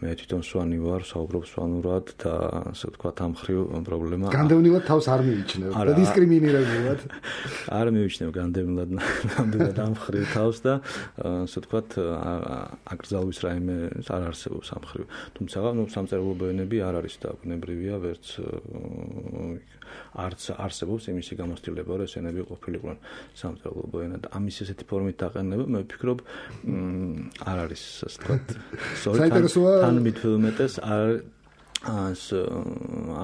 მე თვითონ სვანი ვარ, საუბრობ სვანურად და ასე ვთქვათ, ამ ხრივ პრობლემა. განდევნილად თავს არ მიიჩნევ და დისკრიმინირებულად. არ მივიჩნევ განდევნილად ნამდვილად ამ ხრივ თავს და ასე ვთქვათ, აკრძალვის რაიმე არ არსებობს ამ ხრივ. თუმცა, ნუ სამწერლობო ენები არ არის და ბუნებრივია, ვერც არც არსებობს იმისი გამოცდილება, რომ ეს ენები ყოფილიყვნენ სამწერლობო ენა და ამის ესეთი ფორმით დაყენება, მე ვფიქრობ, არ არის, ასე ვთქვათ, საინტერესოა თან მithumetes არ as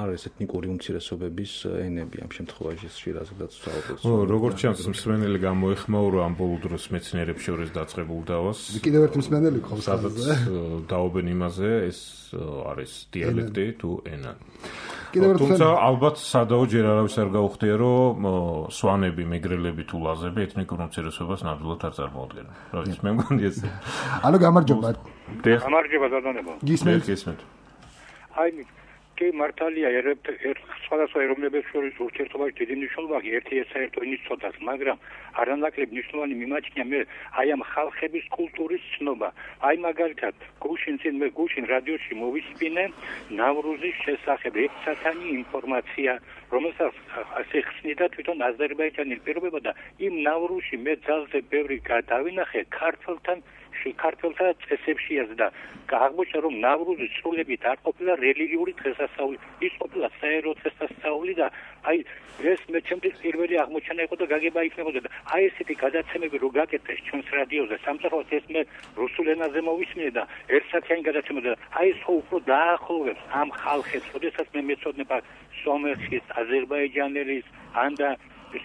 არის ეთნიკური უმცირესობების ენები ამ შემთხვევაში შეიძლება საუბრობს. ო, როგორც ჩანს, მსმენელი გამოეხმაურა ამ ბოლო დროს მეცნიერებს შორის დაწყებულ დავას. კიდევ ერთი მსმენელი ყავს, სადაც დაობენ იმაზე, ეს არის დიალექტი თუ ენა. თუმცა ალბათ სადაო ჯერ არავის არ გაუხდია, რომ სვანები, მეგრელები თუ ლაზები ეთნიკურ უმცირესობას ნამდვილად არ წარმოადგენენ. რა ის მე მგონი ეს. ანუ გამარჯობა. გამარჯობა ბატონებო. გისმენთ. გისმენთ. აი კი მართალია ერთ სხვადასხვა ეროვნებებს შორის ურთიერთობაში დიდი მნიშვნელობა აქვს ერთი საერთო ენის ცოდას, მაგრამ არანაკლებ მნიშვნელოვანი მიმაჩნია მე აი ამ ხალხების კულტურის ცნობა. აი მაგალითად გუშინ წინ მე გუშინ რადიოში მოვისმინე ნავრუზის შესახებ ერთსათანი ინფორმაცია, რომელსაც ასე ხსნიდა თვითონ აზერბაიჯანის პირობება და იმ ნავრუზში მე ძალზე ბევრი დავინახე ქართველთან ქართველთა წესებშიაც და აღმოჩნდა რომ ნავრუზის სრულებით არ ყოფილა რელიგიური დღესასწაული, ის ყოფილა საერო დღესასწაული და აი ეს მე ჩემთვის პირველი აღმოჩენა იყო და გაგება იქნებოდა და აი ესეთი გადაცემები რო გაკეთეს ჩვენს რადიოზე, სამწუხაროდ ეს მე რუსულ ენაზე მოვისმინე და ერთსათიანი გადაცემა და აი ეს უფრო დაახლოვებს ამ ხალხებს, როდესაც მე მეცოდნება სომეხის, აზერბაიჯანელის, ან და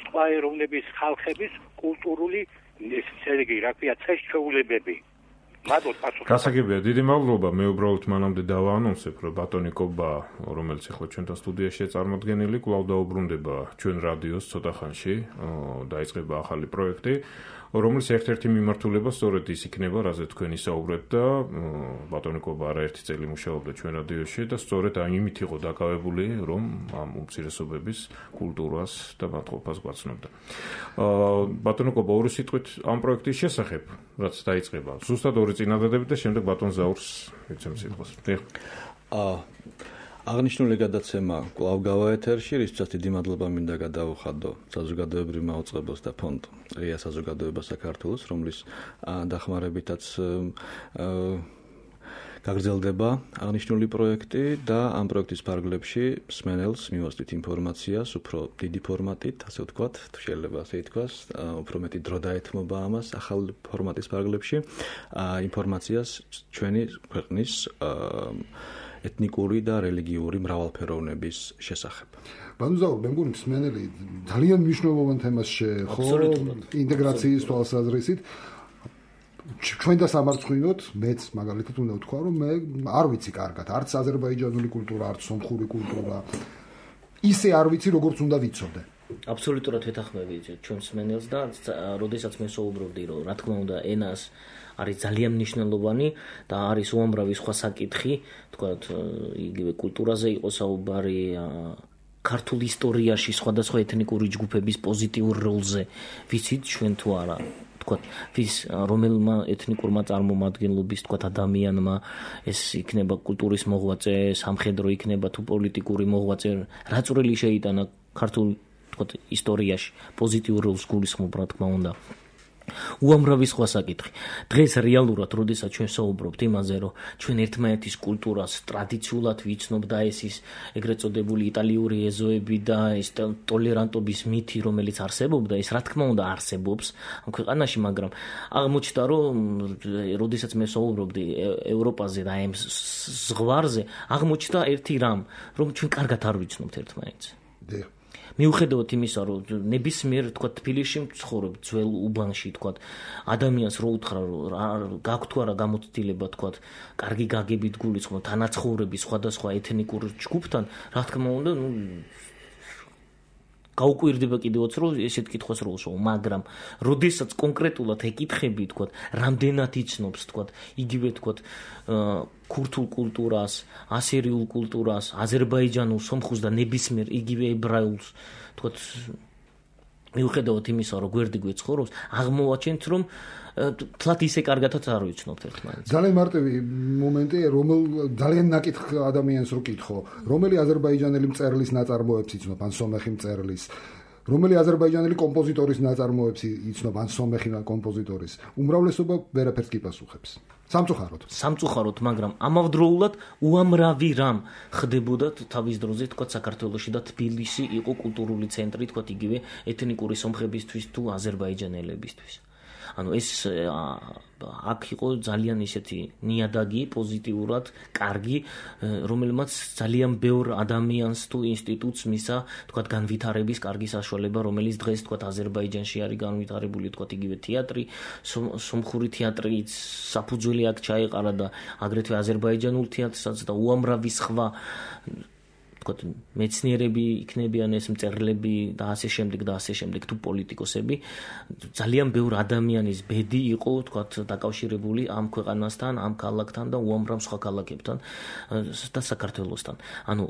სხვა ეროვნების ხალხების კულტურული სერგი, რა ქვია, წესჩვეულებები. მადლობ პასუხი. გასაგებია, დიდი მადლობა. მე უბრალოდ მანამდე დავაანონსებ, რომ ბატონიკობა, რომელიც ახლა ჩვენთან სტუდიაშია წარმოდგენილი, კვლავ დაუბრუნდება ჩვენ რადიოს ცოტა ხანში, დაიწყება ახალი პროექტი, რომელიც ერთ-ერთი მიმართულება სწორედ ის იქნება, რაზე თქვენ ისაუბრებთ და ბატონიკობა არაერთი წელი მუშაობდა ჩვენ რადიოში და სწორედ ამით იყო დაკავებული, რომ ამ უმცირესობების კულტურას და მათყოფას გვაცნობდა. ბატონიკობა ორი სიტყვით ამ პროექტის შესახებ, რაც დაიწყება. ზუსტად ორი წინადადებით და შემდეგ ბატონ ზაურს ეცემ სიტყვას. აა აღნიშნული გადაცემა კვლავ გავა ეთერში, რისთვისაც დიდი მადლობა მინდა გადავუხადო საზოგადოებრივ მაუწყებელს და ფონდ ღია საზოგადოება საქართველოს, რომლის დახმარებითაც გაგრძელდება აღნიშნული პროექტი და ამ პროექტის ფარგლებში მსმენელს მივასწრით ინფორმაციას უფრო დიდი ფორმატით, ასე ვთქვათ, თუ შეიძლება ასე ითქვას, უფრო მეტი დრო დაეთმობა ამას ახალ ფორმატის ფარგლებში, ინფორმაციას ჩვენი ქვეყნის ეთნიკური და რელიგიური მრავალფეროვნების შესახებ. ბანუზაურ, მე მგონი მსმენელი ძალიან მნიშვნელოვან თემას შეეხო ინტეგრაციის თვალსაზრისით. ჩვენ და სამარცხვინოთ, მეც მაგალითად უნდა ვთქვა, რომ მე არ ვიცი კარგად, არც აზერბაიჯანული კულტურა, არც სომხური კულტურა. ისე არ ვიცი, როგორც უნდა ვიცოდე. აბსოლუტურად ვეთანხმები ჩვენ მსმენელს და როდესაც მე საუბრობდი, რომ რა თქმა უნდა ენას არის ძალიან მნიშვნელოვანი და არის უამრავი სხვა საკითხი, თქვათ, იგივე კულტურაზე იყო საუბარი, ქართულ ისტორიაში სხვადასხვა ეთნიკური ჯგუფების პოზიტიურ როლზე, ვიცით ჩვენ თუ არა, თქვათ, ვის რომელმა ეთნიკურმა წარმომადგენლობის, თქვათ, ადამიანმა ეს იქნება კულტურის მოღვაწე, სამხედრო იქნება თუ პოლიტიკური მოღვაწე, რა წვრილი შეიტანა ქართულ თქვა ისტორიაში პოზიტიურ როლს გულისხმობ რა თქმა უნდა. უამრავი სხვა საკითხი. დღეს რეალურად, როდესაც ჩვენ საუბრობთ იმაზე, რომ ჩვენ ერთმანეთის კულტურას ტრადიციულად ვიცნობ და ეს ის ეგრეთ წოდებული იტალიური ეზოები და ეს ტოლერანტობის მითი, რომელიც არსებობდა, ეს რა თქმა უნდა არსებობს ამ ქვეყანაში, მაგრამ აღმოჩნდა, რომ როდესაც მე საუბრობდი ევროპაზე და ამ ზღვარზე, აღმოჩნდა ერთი რამ, რომ ჩვენ კარგად არ ვიცნობთ ერთმანეთს. დიახ. მიუხედავად იმისა, რომ ნებისმიერ თქვა თბილისში მცხოვრებ ძველ უბანში თქვა ადამიანს რო უთხრა რომ გაქვთ თუ არა გამოცდილება თქვა კარგი გაგებით გულისხმობ თანაცხოვრების სხვადასხვა ეთნიკურ ჯგუფთან, რა თქმა უნდა, ნუ გაუკვირდება კიდევაც რომ ესეთ კითხვას რო უშო, მაგრამ როდესაც კონკრეტულად ეკითხები თქვა რამდენად იცნობს თქვა იგივე თქვა ქურთულ კულტურას, ასირიულ კულტურას, აზერბაიჯანულ, სომხურს და ნებისმიერ იგივე ებრაულს თქვა მიუხედავად იმისა რომ გვერდი გვეცხოვრობს, აღმოვაჩენთ რომ თლათ ისე კარგადაც არ ვიცნობთ ერთმანეთს. ძალიან მარტივი მომენტი, რომელ ძალიან ნაკითხ ადამიანს რო კითხო, რომელი აზერბაიჯანელი მწერლის ნაწარმოებს იცნობ, ან სომეხი მწერლის, რომელი აზერბაიჯანელი კომპოზიტორის ნაწარმოებს იცნობ, ან სომეხი კომპოზიტორის, უმრავლესობა ვერაფერს კი პასუხებს. სამწუხაროდ. სამწუხაროდ, მაგრამ ამავდროულად უამრავი რამ ხდებოდა თავის დროზე, თქვა საქართველოში და თბილისი იყო კულტურული ცენტრი, თქვა იგივე ეთნიკური სომხებისთვის თუ აზერბაიჯანელებისთვის. ანუ ეს აქ იყო ძალიან ისეთი ნიადაგი, პოზიტიურად, კარგი, რომელმაც ძალიან ბევრ ადამიანს თუ ინსტიტუტს მისცა, თქვა განვითარების კარგი საშუალება, რომელიც დღეს თქვა აზერბაიჯანში არის განვითარებული, თქვა იგივე თეატრი, სომხური თეატრიც საფუძველი აქ ჩაეყარა და აგრეთვე აზერბაიჯანულ თეატრსაც და უამრავი სხვა მეცნიერები იქნებიან ეს მწერლები და ასე შემდეგ და ასე შემდეგ თუ პოლიტიკოსები ძალიან ბევრ ადამიანის ბედი იყო თქვათ დაკავშირებული ამ ქვეყანასთან, ამ ქალაქთან და უამრავ სხვა ქალაქებთან და საქართველოსთან. ანუ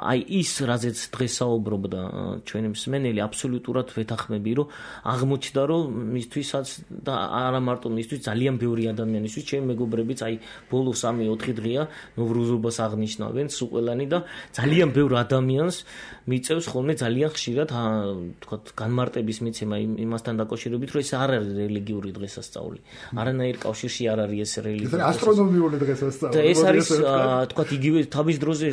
აი ის რაზეც დღეს საუბრობდა ჩვენი მსმენელი აბსოლუტურად ვეთანხმები, რომ აღმოჩნდა რომ მისთვისაც და არა მარტო მისთვის ძალიან ბევრი ადამიანისთვის, ჩემი მეგობრებიც აი ბოლო სამი ოთხი დღეა ნოვრუზობას აღნიშნავენ სუყელანი და ძალიან ბევრ ადამიანს მიწევს ხოლმე ძალიან ხშირად თქვათ განმარტების მიცემა იმასთან დაკავშირებით, რომ ეს არ არის რელიგიური დღესასწაული. არანაირ კავშირში არ არის ეს რელიგიური. ეს ასტრონომიული დღესასწაული. და ეს არის თქვათ იგივე თავის დროზე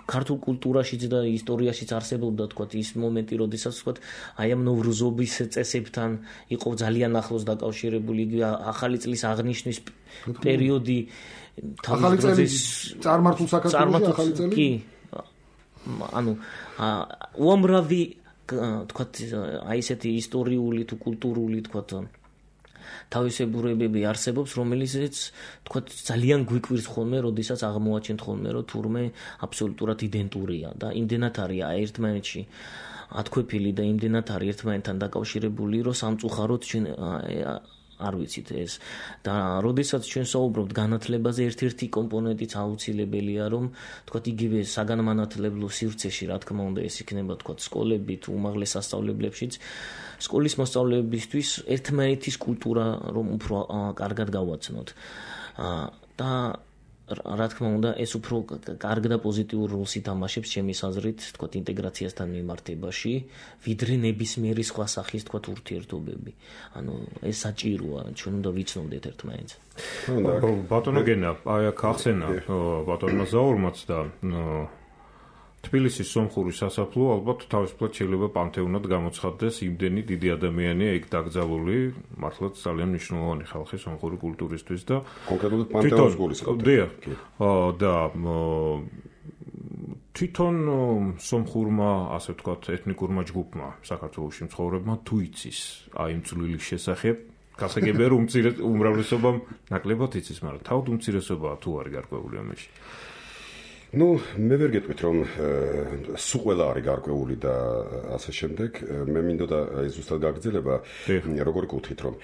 ქართულ კულტურაშიც და ისტორიაშიც არსებობდა თქვათ ის მომენტი, როდესაც თქვათ აი ამ ნოვრუზობის წესებთან იყო ძალიან ახლოს დაკავშირებული ახალი წლის აღნიშვნის პერიოდი. ახალი წლის წარმართულ საქართველოში ახალი წელი? კი. ანუ უამრავი თქვათ აი ესეთი ისტორიული თუ კულტურული თქვათ თავისებურებები არსებობს, რომელიცაც თქვათ ძალიან გვიკვირს ხოლმე, როდესაც აღმოაჩენთ ხოლმე, რომ თურმე აბსოლუტურად იდენტურია და იმდენად არის ერთმანეთში ათქვეფილი და იმდენად არის ერთმანეთთან დაკავშირებული, რომ სამწუხაროდ ჩვენ არ ვიცით ეს და როდესაც ჩვენ საუბრობთ განათლებაზე, ერთ-ერთი კომპონენტიც აუცილებელია, რომ თქვათ იგივე საგანმანათლებლო სივრცეში, რა თქმა უნდა, ეს იქნება თქვათ სკოლები თუ უმაღლეს სასწავლებლებშიც, სკოლის მოსწავლეებისთვის ერთმანეთის კულტურა რომ უფრო კარგად გავაცნოთ. და რა თქმა უნდა, ეს უფრო კარგ და პოზიტიურ როლს ითამაშებს ჩემის აზრით, თქვათ ინტეგრაციასთან მიმართებაში, ვიდრე ნებისმიერი სხვა სახის თქვათ ურთიერთობები. ანუ ეს საჭიროა, ჩვენ უნდა ვიცნობდეთ ერთმანეთს. ბატონო გენა, აი აქ ახსენა ბატონმა ზაურმაც და თბილისის სომხური სასაფლაო ალბათ თავისუფლად შეიძლება პანთეონად გამოცხადდეს, იმდენი დიდი ადამიანია იქ დაკრძალული, მართლაც ძალიან მნიშვნელოვანი ხალხი სომხური კულტურისთვის და კონკრეტულად პანთეონს გულისხმობთ. დიახ. და თვითონ სომხურმა, ასე ვთქვათ, ეთნიკურმა ჯგუფმა საქართველოში მცხოვრებმა თუ იცის აი იმ წვლილის შესახებ, გასაგებია რომ უმრავლესობამ ნაკლებად იცის, მაგრამ თავად უმცირესობაა თუ არის გარკვეული ამაში. ну, მე ვერ გეტყვით რომ სულ ყველა არის გარკვეული და ასე შემდეგ. მე მინდოდა აი ზუსტად გაგრძელება, როგორი კუთხით რომ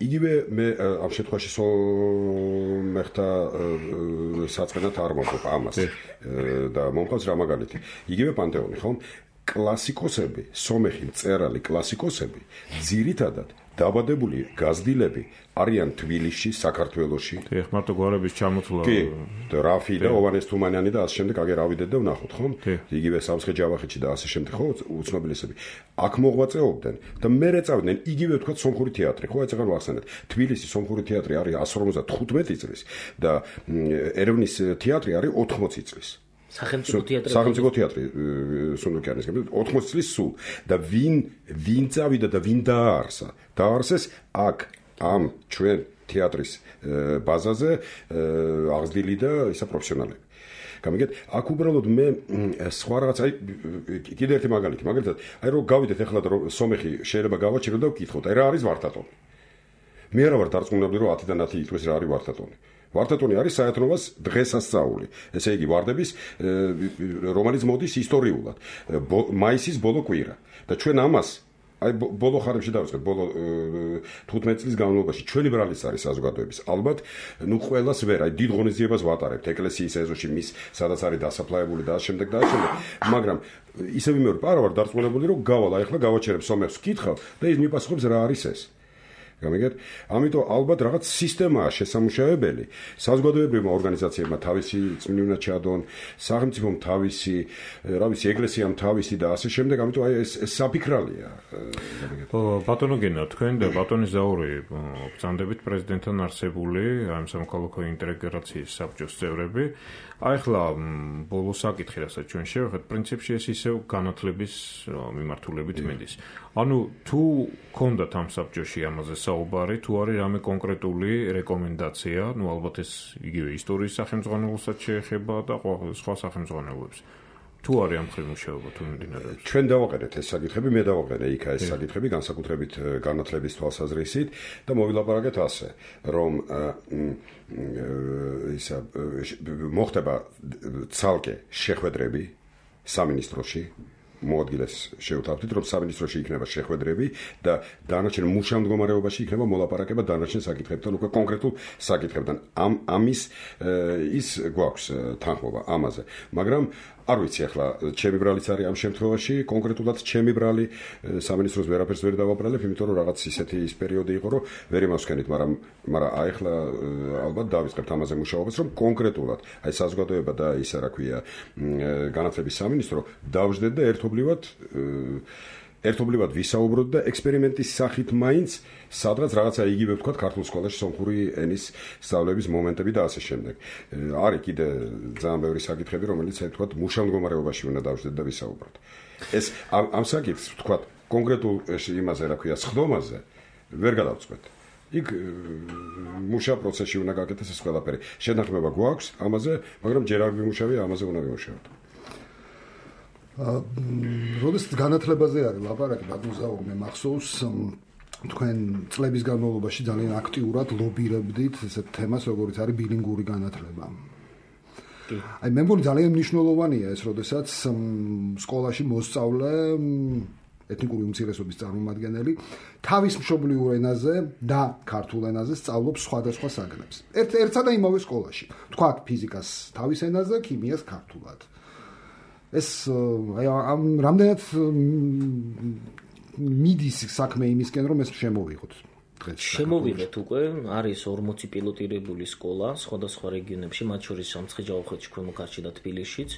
იგივე მე ამ შემთხვევაში სომეხთა საწყენად არ მომყოფ ამას და მომყავს რა მაგალითი. იგივე პანთეონი, ხომ? კლასიკოსები, სომეხი მწერალი კლასიკოსები ძირითადად დაბადებული გაზრდილები არიან თბილისში, საქართველოში. ეხ მარტო გვარების ჩამოთვლა. კი, რაფი და ოვანეს თუმანიანი და ასე შემდეგ აგერ ავიდეთ და ვნახოთ, ხო? იგივე სამცხე ჯავახეთში და ასე შემდეგ, ხო, უცნობლისები. აქ მოღვაწეობდნენ და მე რეწავდნენ იგივე თქვა სომხური თეატრი, ხო, ეცაღან ვახსენეთ. თბილისის სომხური თეატრი არის εκατს ორმოცდათხუთმეტი წლის და ერევნის თეატრი არის ოთხმოცი წლის. სახელმწიფო თეატრი სახელმწიფო თეატრი სუნდუკიანის გამო ოთხმოცი წლის სულ და ვინ ვინ წავიდა და ვინ დააარსა დააარსეს აქ ამ ჩვენ თეატრის ბაზაზე აღზრდილი და ისა პროფესიონალები გამიგეთ აქ უბრალოდ მე სხვა რაღაც აი კიდე ერთი მაგალითი მაგალითად აი რომ გავიდეთ ახლა რომ სომეხი შეიძლება გავაჩირო და ვკითხოთ აი რა არის ვართატონი მე არა ვარ დარწმუნებული რომ ათიდან ათი იტყვის რა არის ვართატონი ვართატონი არის საერთნობას დღესასწაული. ესე იგი ვარდების რომელიც მოდის ისტორიულად. მაისის ბოლო კვირა. და ჩვენ ამას აი ბოლო ხარებში დავიწყეთ, ბოლო თხუთმეტი წლის განმავლობაში ჩვენი ბრალის არის საზოგადოების. ალბათ, ნუ ყველას ვერ, აი დიდ ღონისძიებას ვატარებთ ეკლესიის ეზოში, მის სადაც არის დასაფლავებული და ამ შემდეგ და ამ შემდეგ. მაგრამ ისევ იმეორ პარა ვარ დარწმუნებული რომ გავალ აი ახლა გავაჩერებ სომეხს ვკითხავ და ის მიპასუხებს რა არის ეს. გამიგეთ? ამიტომ ალბათ რაღაც სისტემაა შესამუშავებელი. საზოგადოებრივმა ორგანიზაციებმა თავისი წმენდად ჩადონ, სახელმწიფომ თავისი, რა ვიცი, ეკლესიამ თავისი და ასე შემდეგ. ამიტომ აი ეს საფიქრალია. გამიგეთ? ბატონო გენა, თქვენ და ბატონი ზაური ბრძანდებით პრეზიდენტთან არსებული ამ სამოქალაქო ინტეგრაციის საბჭოს წევრები. აი ახლა ბოლო საკითხი, რასაც ჩვენ შევხედეთ, პრინციპში ეს ისევ განათლების მიმართულებით მედის. ანუ თუ გქონდათ ამ საბჭოში ამაზე საუბარი, თუ არის რამე კონკრეტული რეკომენდაცია, ну ალბათ ეს იგივე ისტორიის სახელმძღვანელოსაც შეეხება და სხვა სახელმძღვანელოებს. თუ არის ამ ხრივ მუშაობა თუ მიმდინარეობს. ჩვენ დავაყენეთ ეს საკითხები, მე დავაყენე იქა ეს საკითხები, განსაკუთრებით განათლების თვალსაზრისით და მოვილაპარაკეთ ასე, რომ ისა მოხდება ცალკე შეხვედრები სამინისტროში მოადგილეს შევთავაზეთ, რომ სამინისტროში იქნება შეხვედრები და დანარჩენ მუშა მდგომარეობაში იქნება მოლაპარაკება დანარჩენ საკითხებთან, უკვე კონკრეტულ საკითხებთან. ამ ამის ის გვაქვს თანხმობა ამაზე. მაგრამ არ ვიცი ახლა ჩემი ბრალიც არის ამ შემთხვევაში, კონკრეტულად ჩემი ბრალი სამინისტროს ვერაფერს ვერ დავაბრალებ, იმიტომ რომ რაღაც ისეთი ის პერიოდი იყო, რომ ვერ იმასვენით, მაგრამ მაგრამ აი ახლა ალბათ დავიწყებთ ამაზე მუშაობას, რომ კონკრეტულად აი საზოგადოება და ისა რა ქვია განათლების სამინისტრო დავждდეთ და ერთობლივად ერთობლივად ვისაუბროთ და ექსპერიმენტის სახით მაინც სადღაც რაღაცა იგივე ვთქვათ ქართულ სკოლაში სომხური ენის სწავლების მომენტები და ასე შემდეგ. არის კიდე ძალიან ბევრი საკითხები, რომელიც ვთქვათ მუშა მდგომარეობაში უნდა დავждდეთ და ვისაუბროთ. ეს ამ საკითხს ვთქვათ კონკრეტულ იმაზე რა ქვია სხდომაზე ვერ გადავწყვეტ. იქ მუშა პროცესში უნდა გაკეთდეს ეს ყველაფერი. შეთანხმება გვაქვს ამაზე, მაგრამ ჯერ არ ვიმუშავე, ამაზე უნდა ვიმუშაოთ. როდესაც განათლებაზე არის ლაპარაკი, ბატონ ზაური, მე მახსოვს თქვენ წლების განმავლობაში ძალიან აქტიურად ლობირებდით ესეთ თემას, როგორც არის ბილინგური განათლება. აი მე მგონი ძალიან მნიშვნელოვანია ეს, როდესაც სკოლაში მოსწავლე ეთნიკური უმცირესობის წარმომადგენელი თავის მშობლიურ ენაზე და ქართულ ენაზე სწავლობს სხვადასხვა საგნებს. ერთ ერთსა და იმავე სკოლაში. თქვათ ფიზიკას თავის ენაზე, ქიმიას ქართულად. ეს აი ამ რამდენად მიდის საქმე იმისკენ რომ ეს შემოვიღოთ დღეს შემოვიღეთ უკვე არის ორმოცი პილოტირებული სკოლა სხვადასხვა რეგიონებში მათ შორის სამცხე ჯავახეთში ქვემო ქართლში და თბილისშიც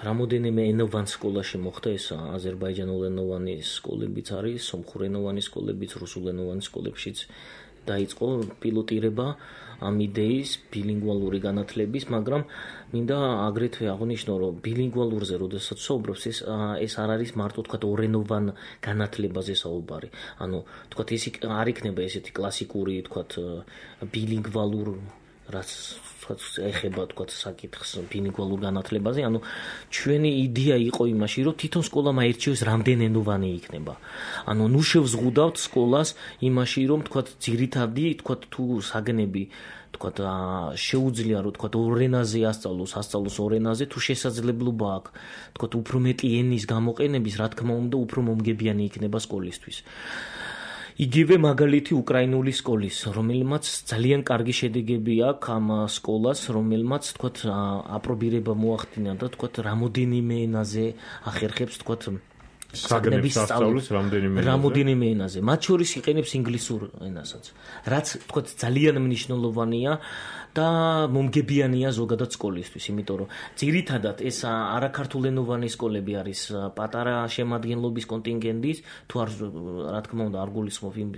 რამოდენიმე ენოვან სკოლაში მოხდა ეს აზერბაიჯანულენოვანი სკოლებიც არის სომხურენოვანი სკოლებიც რუსულენოვანი სკოლებშიც დაიწყო პილოტირება ამ იდეის ბილინგვალური განათლების, მაგრამ მინდა აგრეთვე აღვნიშნო, რომ ბილინგვალურზე როდესაც საუბრობს, ეს ეს არ არის მარტო თქვა ორენოვან განათლებაზე საუბარი. ანუ თქვა ეს არ იქნება ესეთი კლასიკური თქვა ბილინგვალურ რაც ეხება თქვა საკითხს ბილინგვალურ განათლებაზე, ანუ ჩვენი იდეა იყო იმაში, რომ თვითონ სკოლა მაერჩიოს რამდენენოვანი იქნება. ანუ ნუ შევზღუდავთ სკოლას იმაში, რომ თქვა ძირითადი თქვა თუ საგნები თქვა შეუძლია რომ თქვა ორ ენაზე ასწავლოს, ასწავლოს ორ ენაზე თუ შესაძლებლობა აქვს. თქვა უფრო მეტი ენის გამოყენების, რა თქმა უნდა, უფრო მომგებიანი იქნება სკოლისთვის. იგივე მაგალითი უკრაინული სკოლის, რომელმაც ძალიან კარგი შედეგები აქვს ამ სკოლას, რომელმაც თქვათ აპრობირება მოახდინა და თქვათ რამოდენიმე ენაზე ახერხებს თქვათ საგნების სწავლის რამდენიმე ენაზე. რამოდენიმე ენაზე. მათ შორის იყენებს ინგლისურ ენასაც. რაც თქვათ ძალიან მნიშვნელოვანია და მომგებიანია ზოგადად სკოლისთვის, იმიტომ რომ ძირითადად ეს არაქართულენოვანი სკოლები არის პატარა შემადგენლობის კონტინგენტის, თუ არ რა თქმა უნდა არ გულისხმობ იმ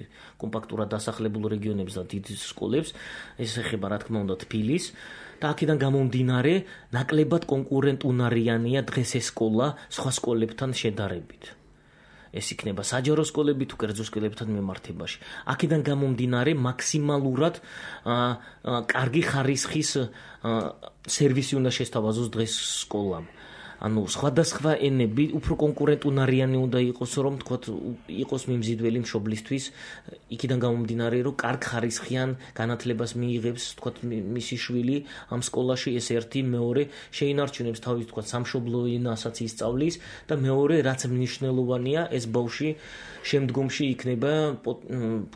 კომპაქტურად დასახლებულ რეგიონებს და დიდ სკოლებს, ეს ეხება რა თქმა უნდა თბილისს და აქედან გამომდინარე ნაკლებად კონკურენტუნარიანია დღეს ეს სკოლა სხვა სკოლებთან შედარებით. ეს იქნება საჯარო სკოლები თუ კერძო სკოლებთან მიმართებაში. აქედან გამომდინარე მაქსიმალურად კარგი ხარისხის სერვისი უნდა შესთავაზოს დღეს სკოლამ. ანუ სხვადასხვა ენები უფრო კონკურენტუნარიანი უნდა იყოს, რომ თქვათ იყოს მიმზიდველი მშობლისთვის, იქიდან გამომდინარე, რომ კარგ ხარისხიან განათლებას მიიღებს, თქვათ მისი შვილი ამ სკოლაში, ეს ერთი, მეორე შეინარჩუნებს თავის თქვათ სამშობლო ენასაც ისწავლის და მეორე რაც მნიშვნელოვანია, ეს ბავშვი შემდგომში იქნება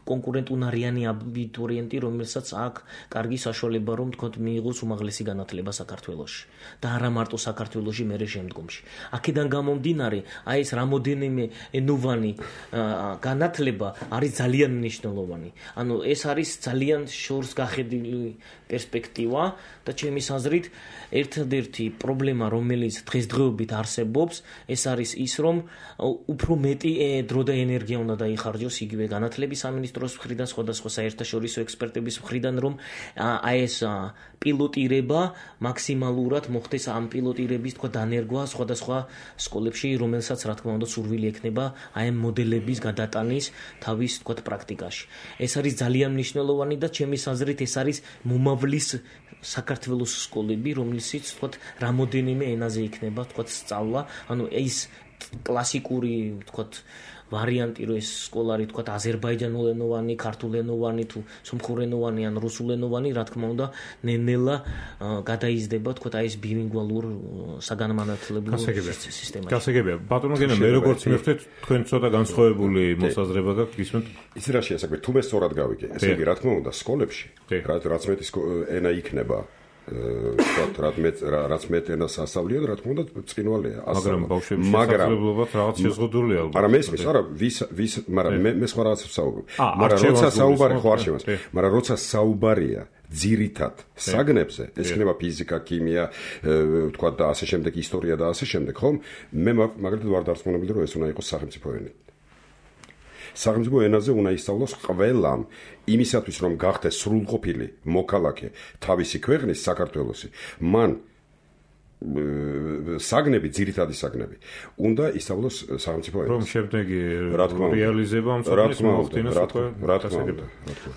კონკურენტუნარიანი აბიტურიენტი, რომელსაც აქვს კარგი საშუალება, რომ თქვათ მიიღოს უმაღლესი განათლება საქართველოში და არა მარტო საქართველოში, მერე შემდგომში. აქედან გამომდინარე, აი ეს რამოდენიმე ენოვანი განათლება არის ძალიან მნიშვნელოვანი. ანუ ეს არის ძალიან შორს გახედილი პერსპექტივა და ჩემის აზრით ერთადერთი პრობლემა, რომელიც დღესდღეობით არსებობს, ეს არის ის, რომ უფრო მეტი დრო და ენერგია უნდა დაიხარჯოს იგივე განათლების სამინისტროს მხრიდან, სხვადასხვა საერთაშორისო ექსპერტების მხრიდან, რომ აი ეს პილოტირება მაქსიმალურად მოხდეს ამ პილოტირების თქვა დანერგვა სხვადასხვა სკოლებში, რომელსაც რა თქმა უნდა სურვილი ექნება აი ამ მოდელების გადატანის თავის თქვა პრაქტიკაში. ეს არის ძალიან მნიშვნელოვანი და ჩემის აზრით ეს არის მომავლის საქართველოს სკოლები, რომელშიც თქვა რამოდენიმე ენაზე იქნება თქვა სწავლა, ანუ ეს კლასიკური თქვა ვარიანტი, რომ ეს სკოლა არის თქვა აზერბაიჯანულენოვანი, ქართულენოვანი თუ სომხურენოვანი ან რუსულენოვანი, რა თქმა უნდა, ნელ-ნელა გადაიზრდება თქვა აი ეს ბილინგვალურ საგანმანათლებლო სისტემაში. გასაგებია. ბატონო გენა, მე როგორც მივხვდით, თქვენ ცოტა განსხვავებული მოსაზრება გაქვთ, გისმენთ? იცი რა შეასაკვე, თუ მე სწორად გავიგე, ესე იგი, რა თქმა უნდა, სკოლებში, რაც მეტი ენა იქნება ვთქვათ, რაც მეტ ენას ასწავლიოთ, რა თქმა უნდა, ბრწყინვალეა. მაგრამ ბავშვების შესაძლებლობად რაღაც შეზღუდულია ალბათ. არა, მესმის, არა, ვის ვის, მაგრამ მე მე სხვა რაღაცებს საუბრობ. მაგრამ როცა საუბარი ხო არ შემას, მაგრამ როცა საუბარია ძირითად საგნებზე, ეს იქნება ფიზიკა, ქიმია, ვთქვათ და ასე შემდეგ, ისტორია და ასე შემდეგ, ხომ? მე მაგალითად ვარ დარწმუნებული, რომ ეს უნდა იყოს სახელმწიფო ენა. სახელმწიფო ენაზე უნდა ისწავლოს ყველამ იმისათვის, რომ გახდეს სრულყოფილი მოქალაქე თავისი ქვეყნის საქართველოსი. მან საგნები, ძირითადი საგნები უნდა ისწავლოს სახელმწიფო ენაზე. რომ შემდეგი რეალიზება ამ საგნების მოხდინოს უკვე რა თქმა უნდა.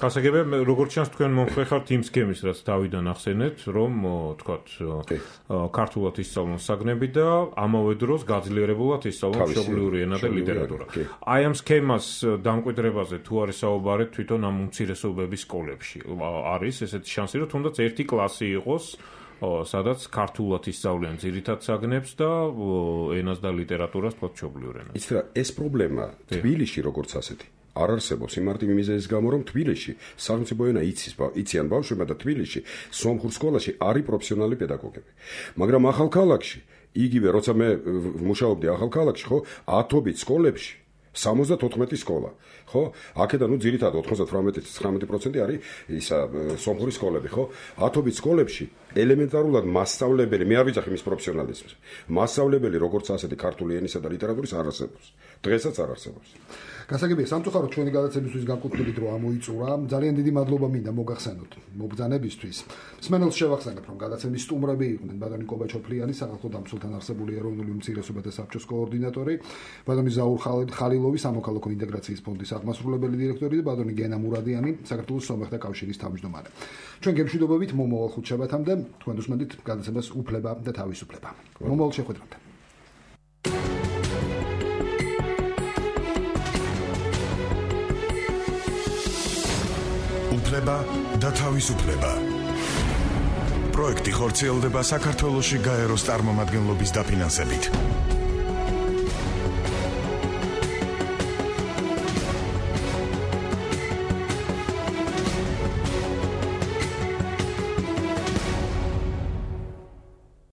გასაგებია, როგორც ჩანს თქვენ მომხრე ხართ იმ სქემის, რაც თავიდან ახსენეთ, რომ თქვათ ქართულად ისწავლონ საგნები და ამავე დროს გაძლიერებულად ისწავლონ მშობლიური ენა და ლიტერატურა. აი ამ სქემას დამკვიდრებაზე თუ არის საუბარი თვითონ ამ უმცირესობების სკოლებში, არის ესეთი შანსი, რომ თუნდაც ერთი კლასი იყოს სადაც ქართულად ისწავლიან ძირითად საგნებს და ენას და ლიტერატურას თქვათ მშობლიურ ენას. იცით რა, ეს პრობლემა თბილისში როგორც ასეთი არ არსებობს იმ მარტივი მიზეზის გამო, რომ თბილისში სახელმწიფო ენა იცის, იციან ბავშვებმა და თბილისში სომხურ სკოლაში არის პროფესიონალი პედაგოგები. მაგრამ ახალ ქალაქში, იგივე როცა მე მუშაობდი ახალ ქალაქში, ხო, ათობით სკოლებში სამოცდათოთხმეტი სკოლა, ხო? აქედან ნუ ძირითადად ოთხმოცდათვრამეტი ცხრამეტი პროცენტი არის ისა სომხური სკოლები, ხო? ათობით სკოლებში ელემენტარულად მასწავლებელი, მე არ ვიცახი მის პროფესიონალიზმს. მასწავლებელი როგორც ასეთი ქართული ენისა და ლიტერატურის არ არსებობს. დღესაც არ არსებობს. გასაგებია, სამწუხაროდ ჩვენი გადაცემისთვის განკუთვნილი დრო ამოიწურა. ძალიან დიდი მადლობა მინდა მოგახსენოთ მობრძანებისთვის. მსმენელს შევახსენებ, რომ გადაცემის სტუმრები იყვნენ ბატონი კობაჩოფლიანი, საქართველოს დამცველთან არსებული ეროვნული უმცირესობათა საბჭოს კოორდინატორი, ბატონი ზაურ ხალილოვი, სამოქალაქო ინტეგრაციის ფონდის აღმასრულებელი დირექტორი და ბატონი გენა მურადიანი, საქართველოს სომეხთა კავშირის თავმჯდომარე. ჩვენ გემშვიდობებით მომავალ ხუთშაბათამდე თქვენ უსმენთ გადაცემას უფლება და თავისუფლება. მომავალ შეხვედრამდე. უფლება და თავისუფლება. პროექტი ხორციელდება საქართველოში გაეროს წარმომადგენლობის დაფინანსებით.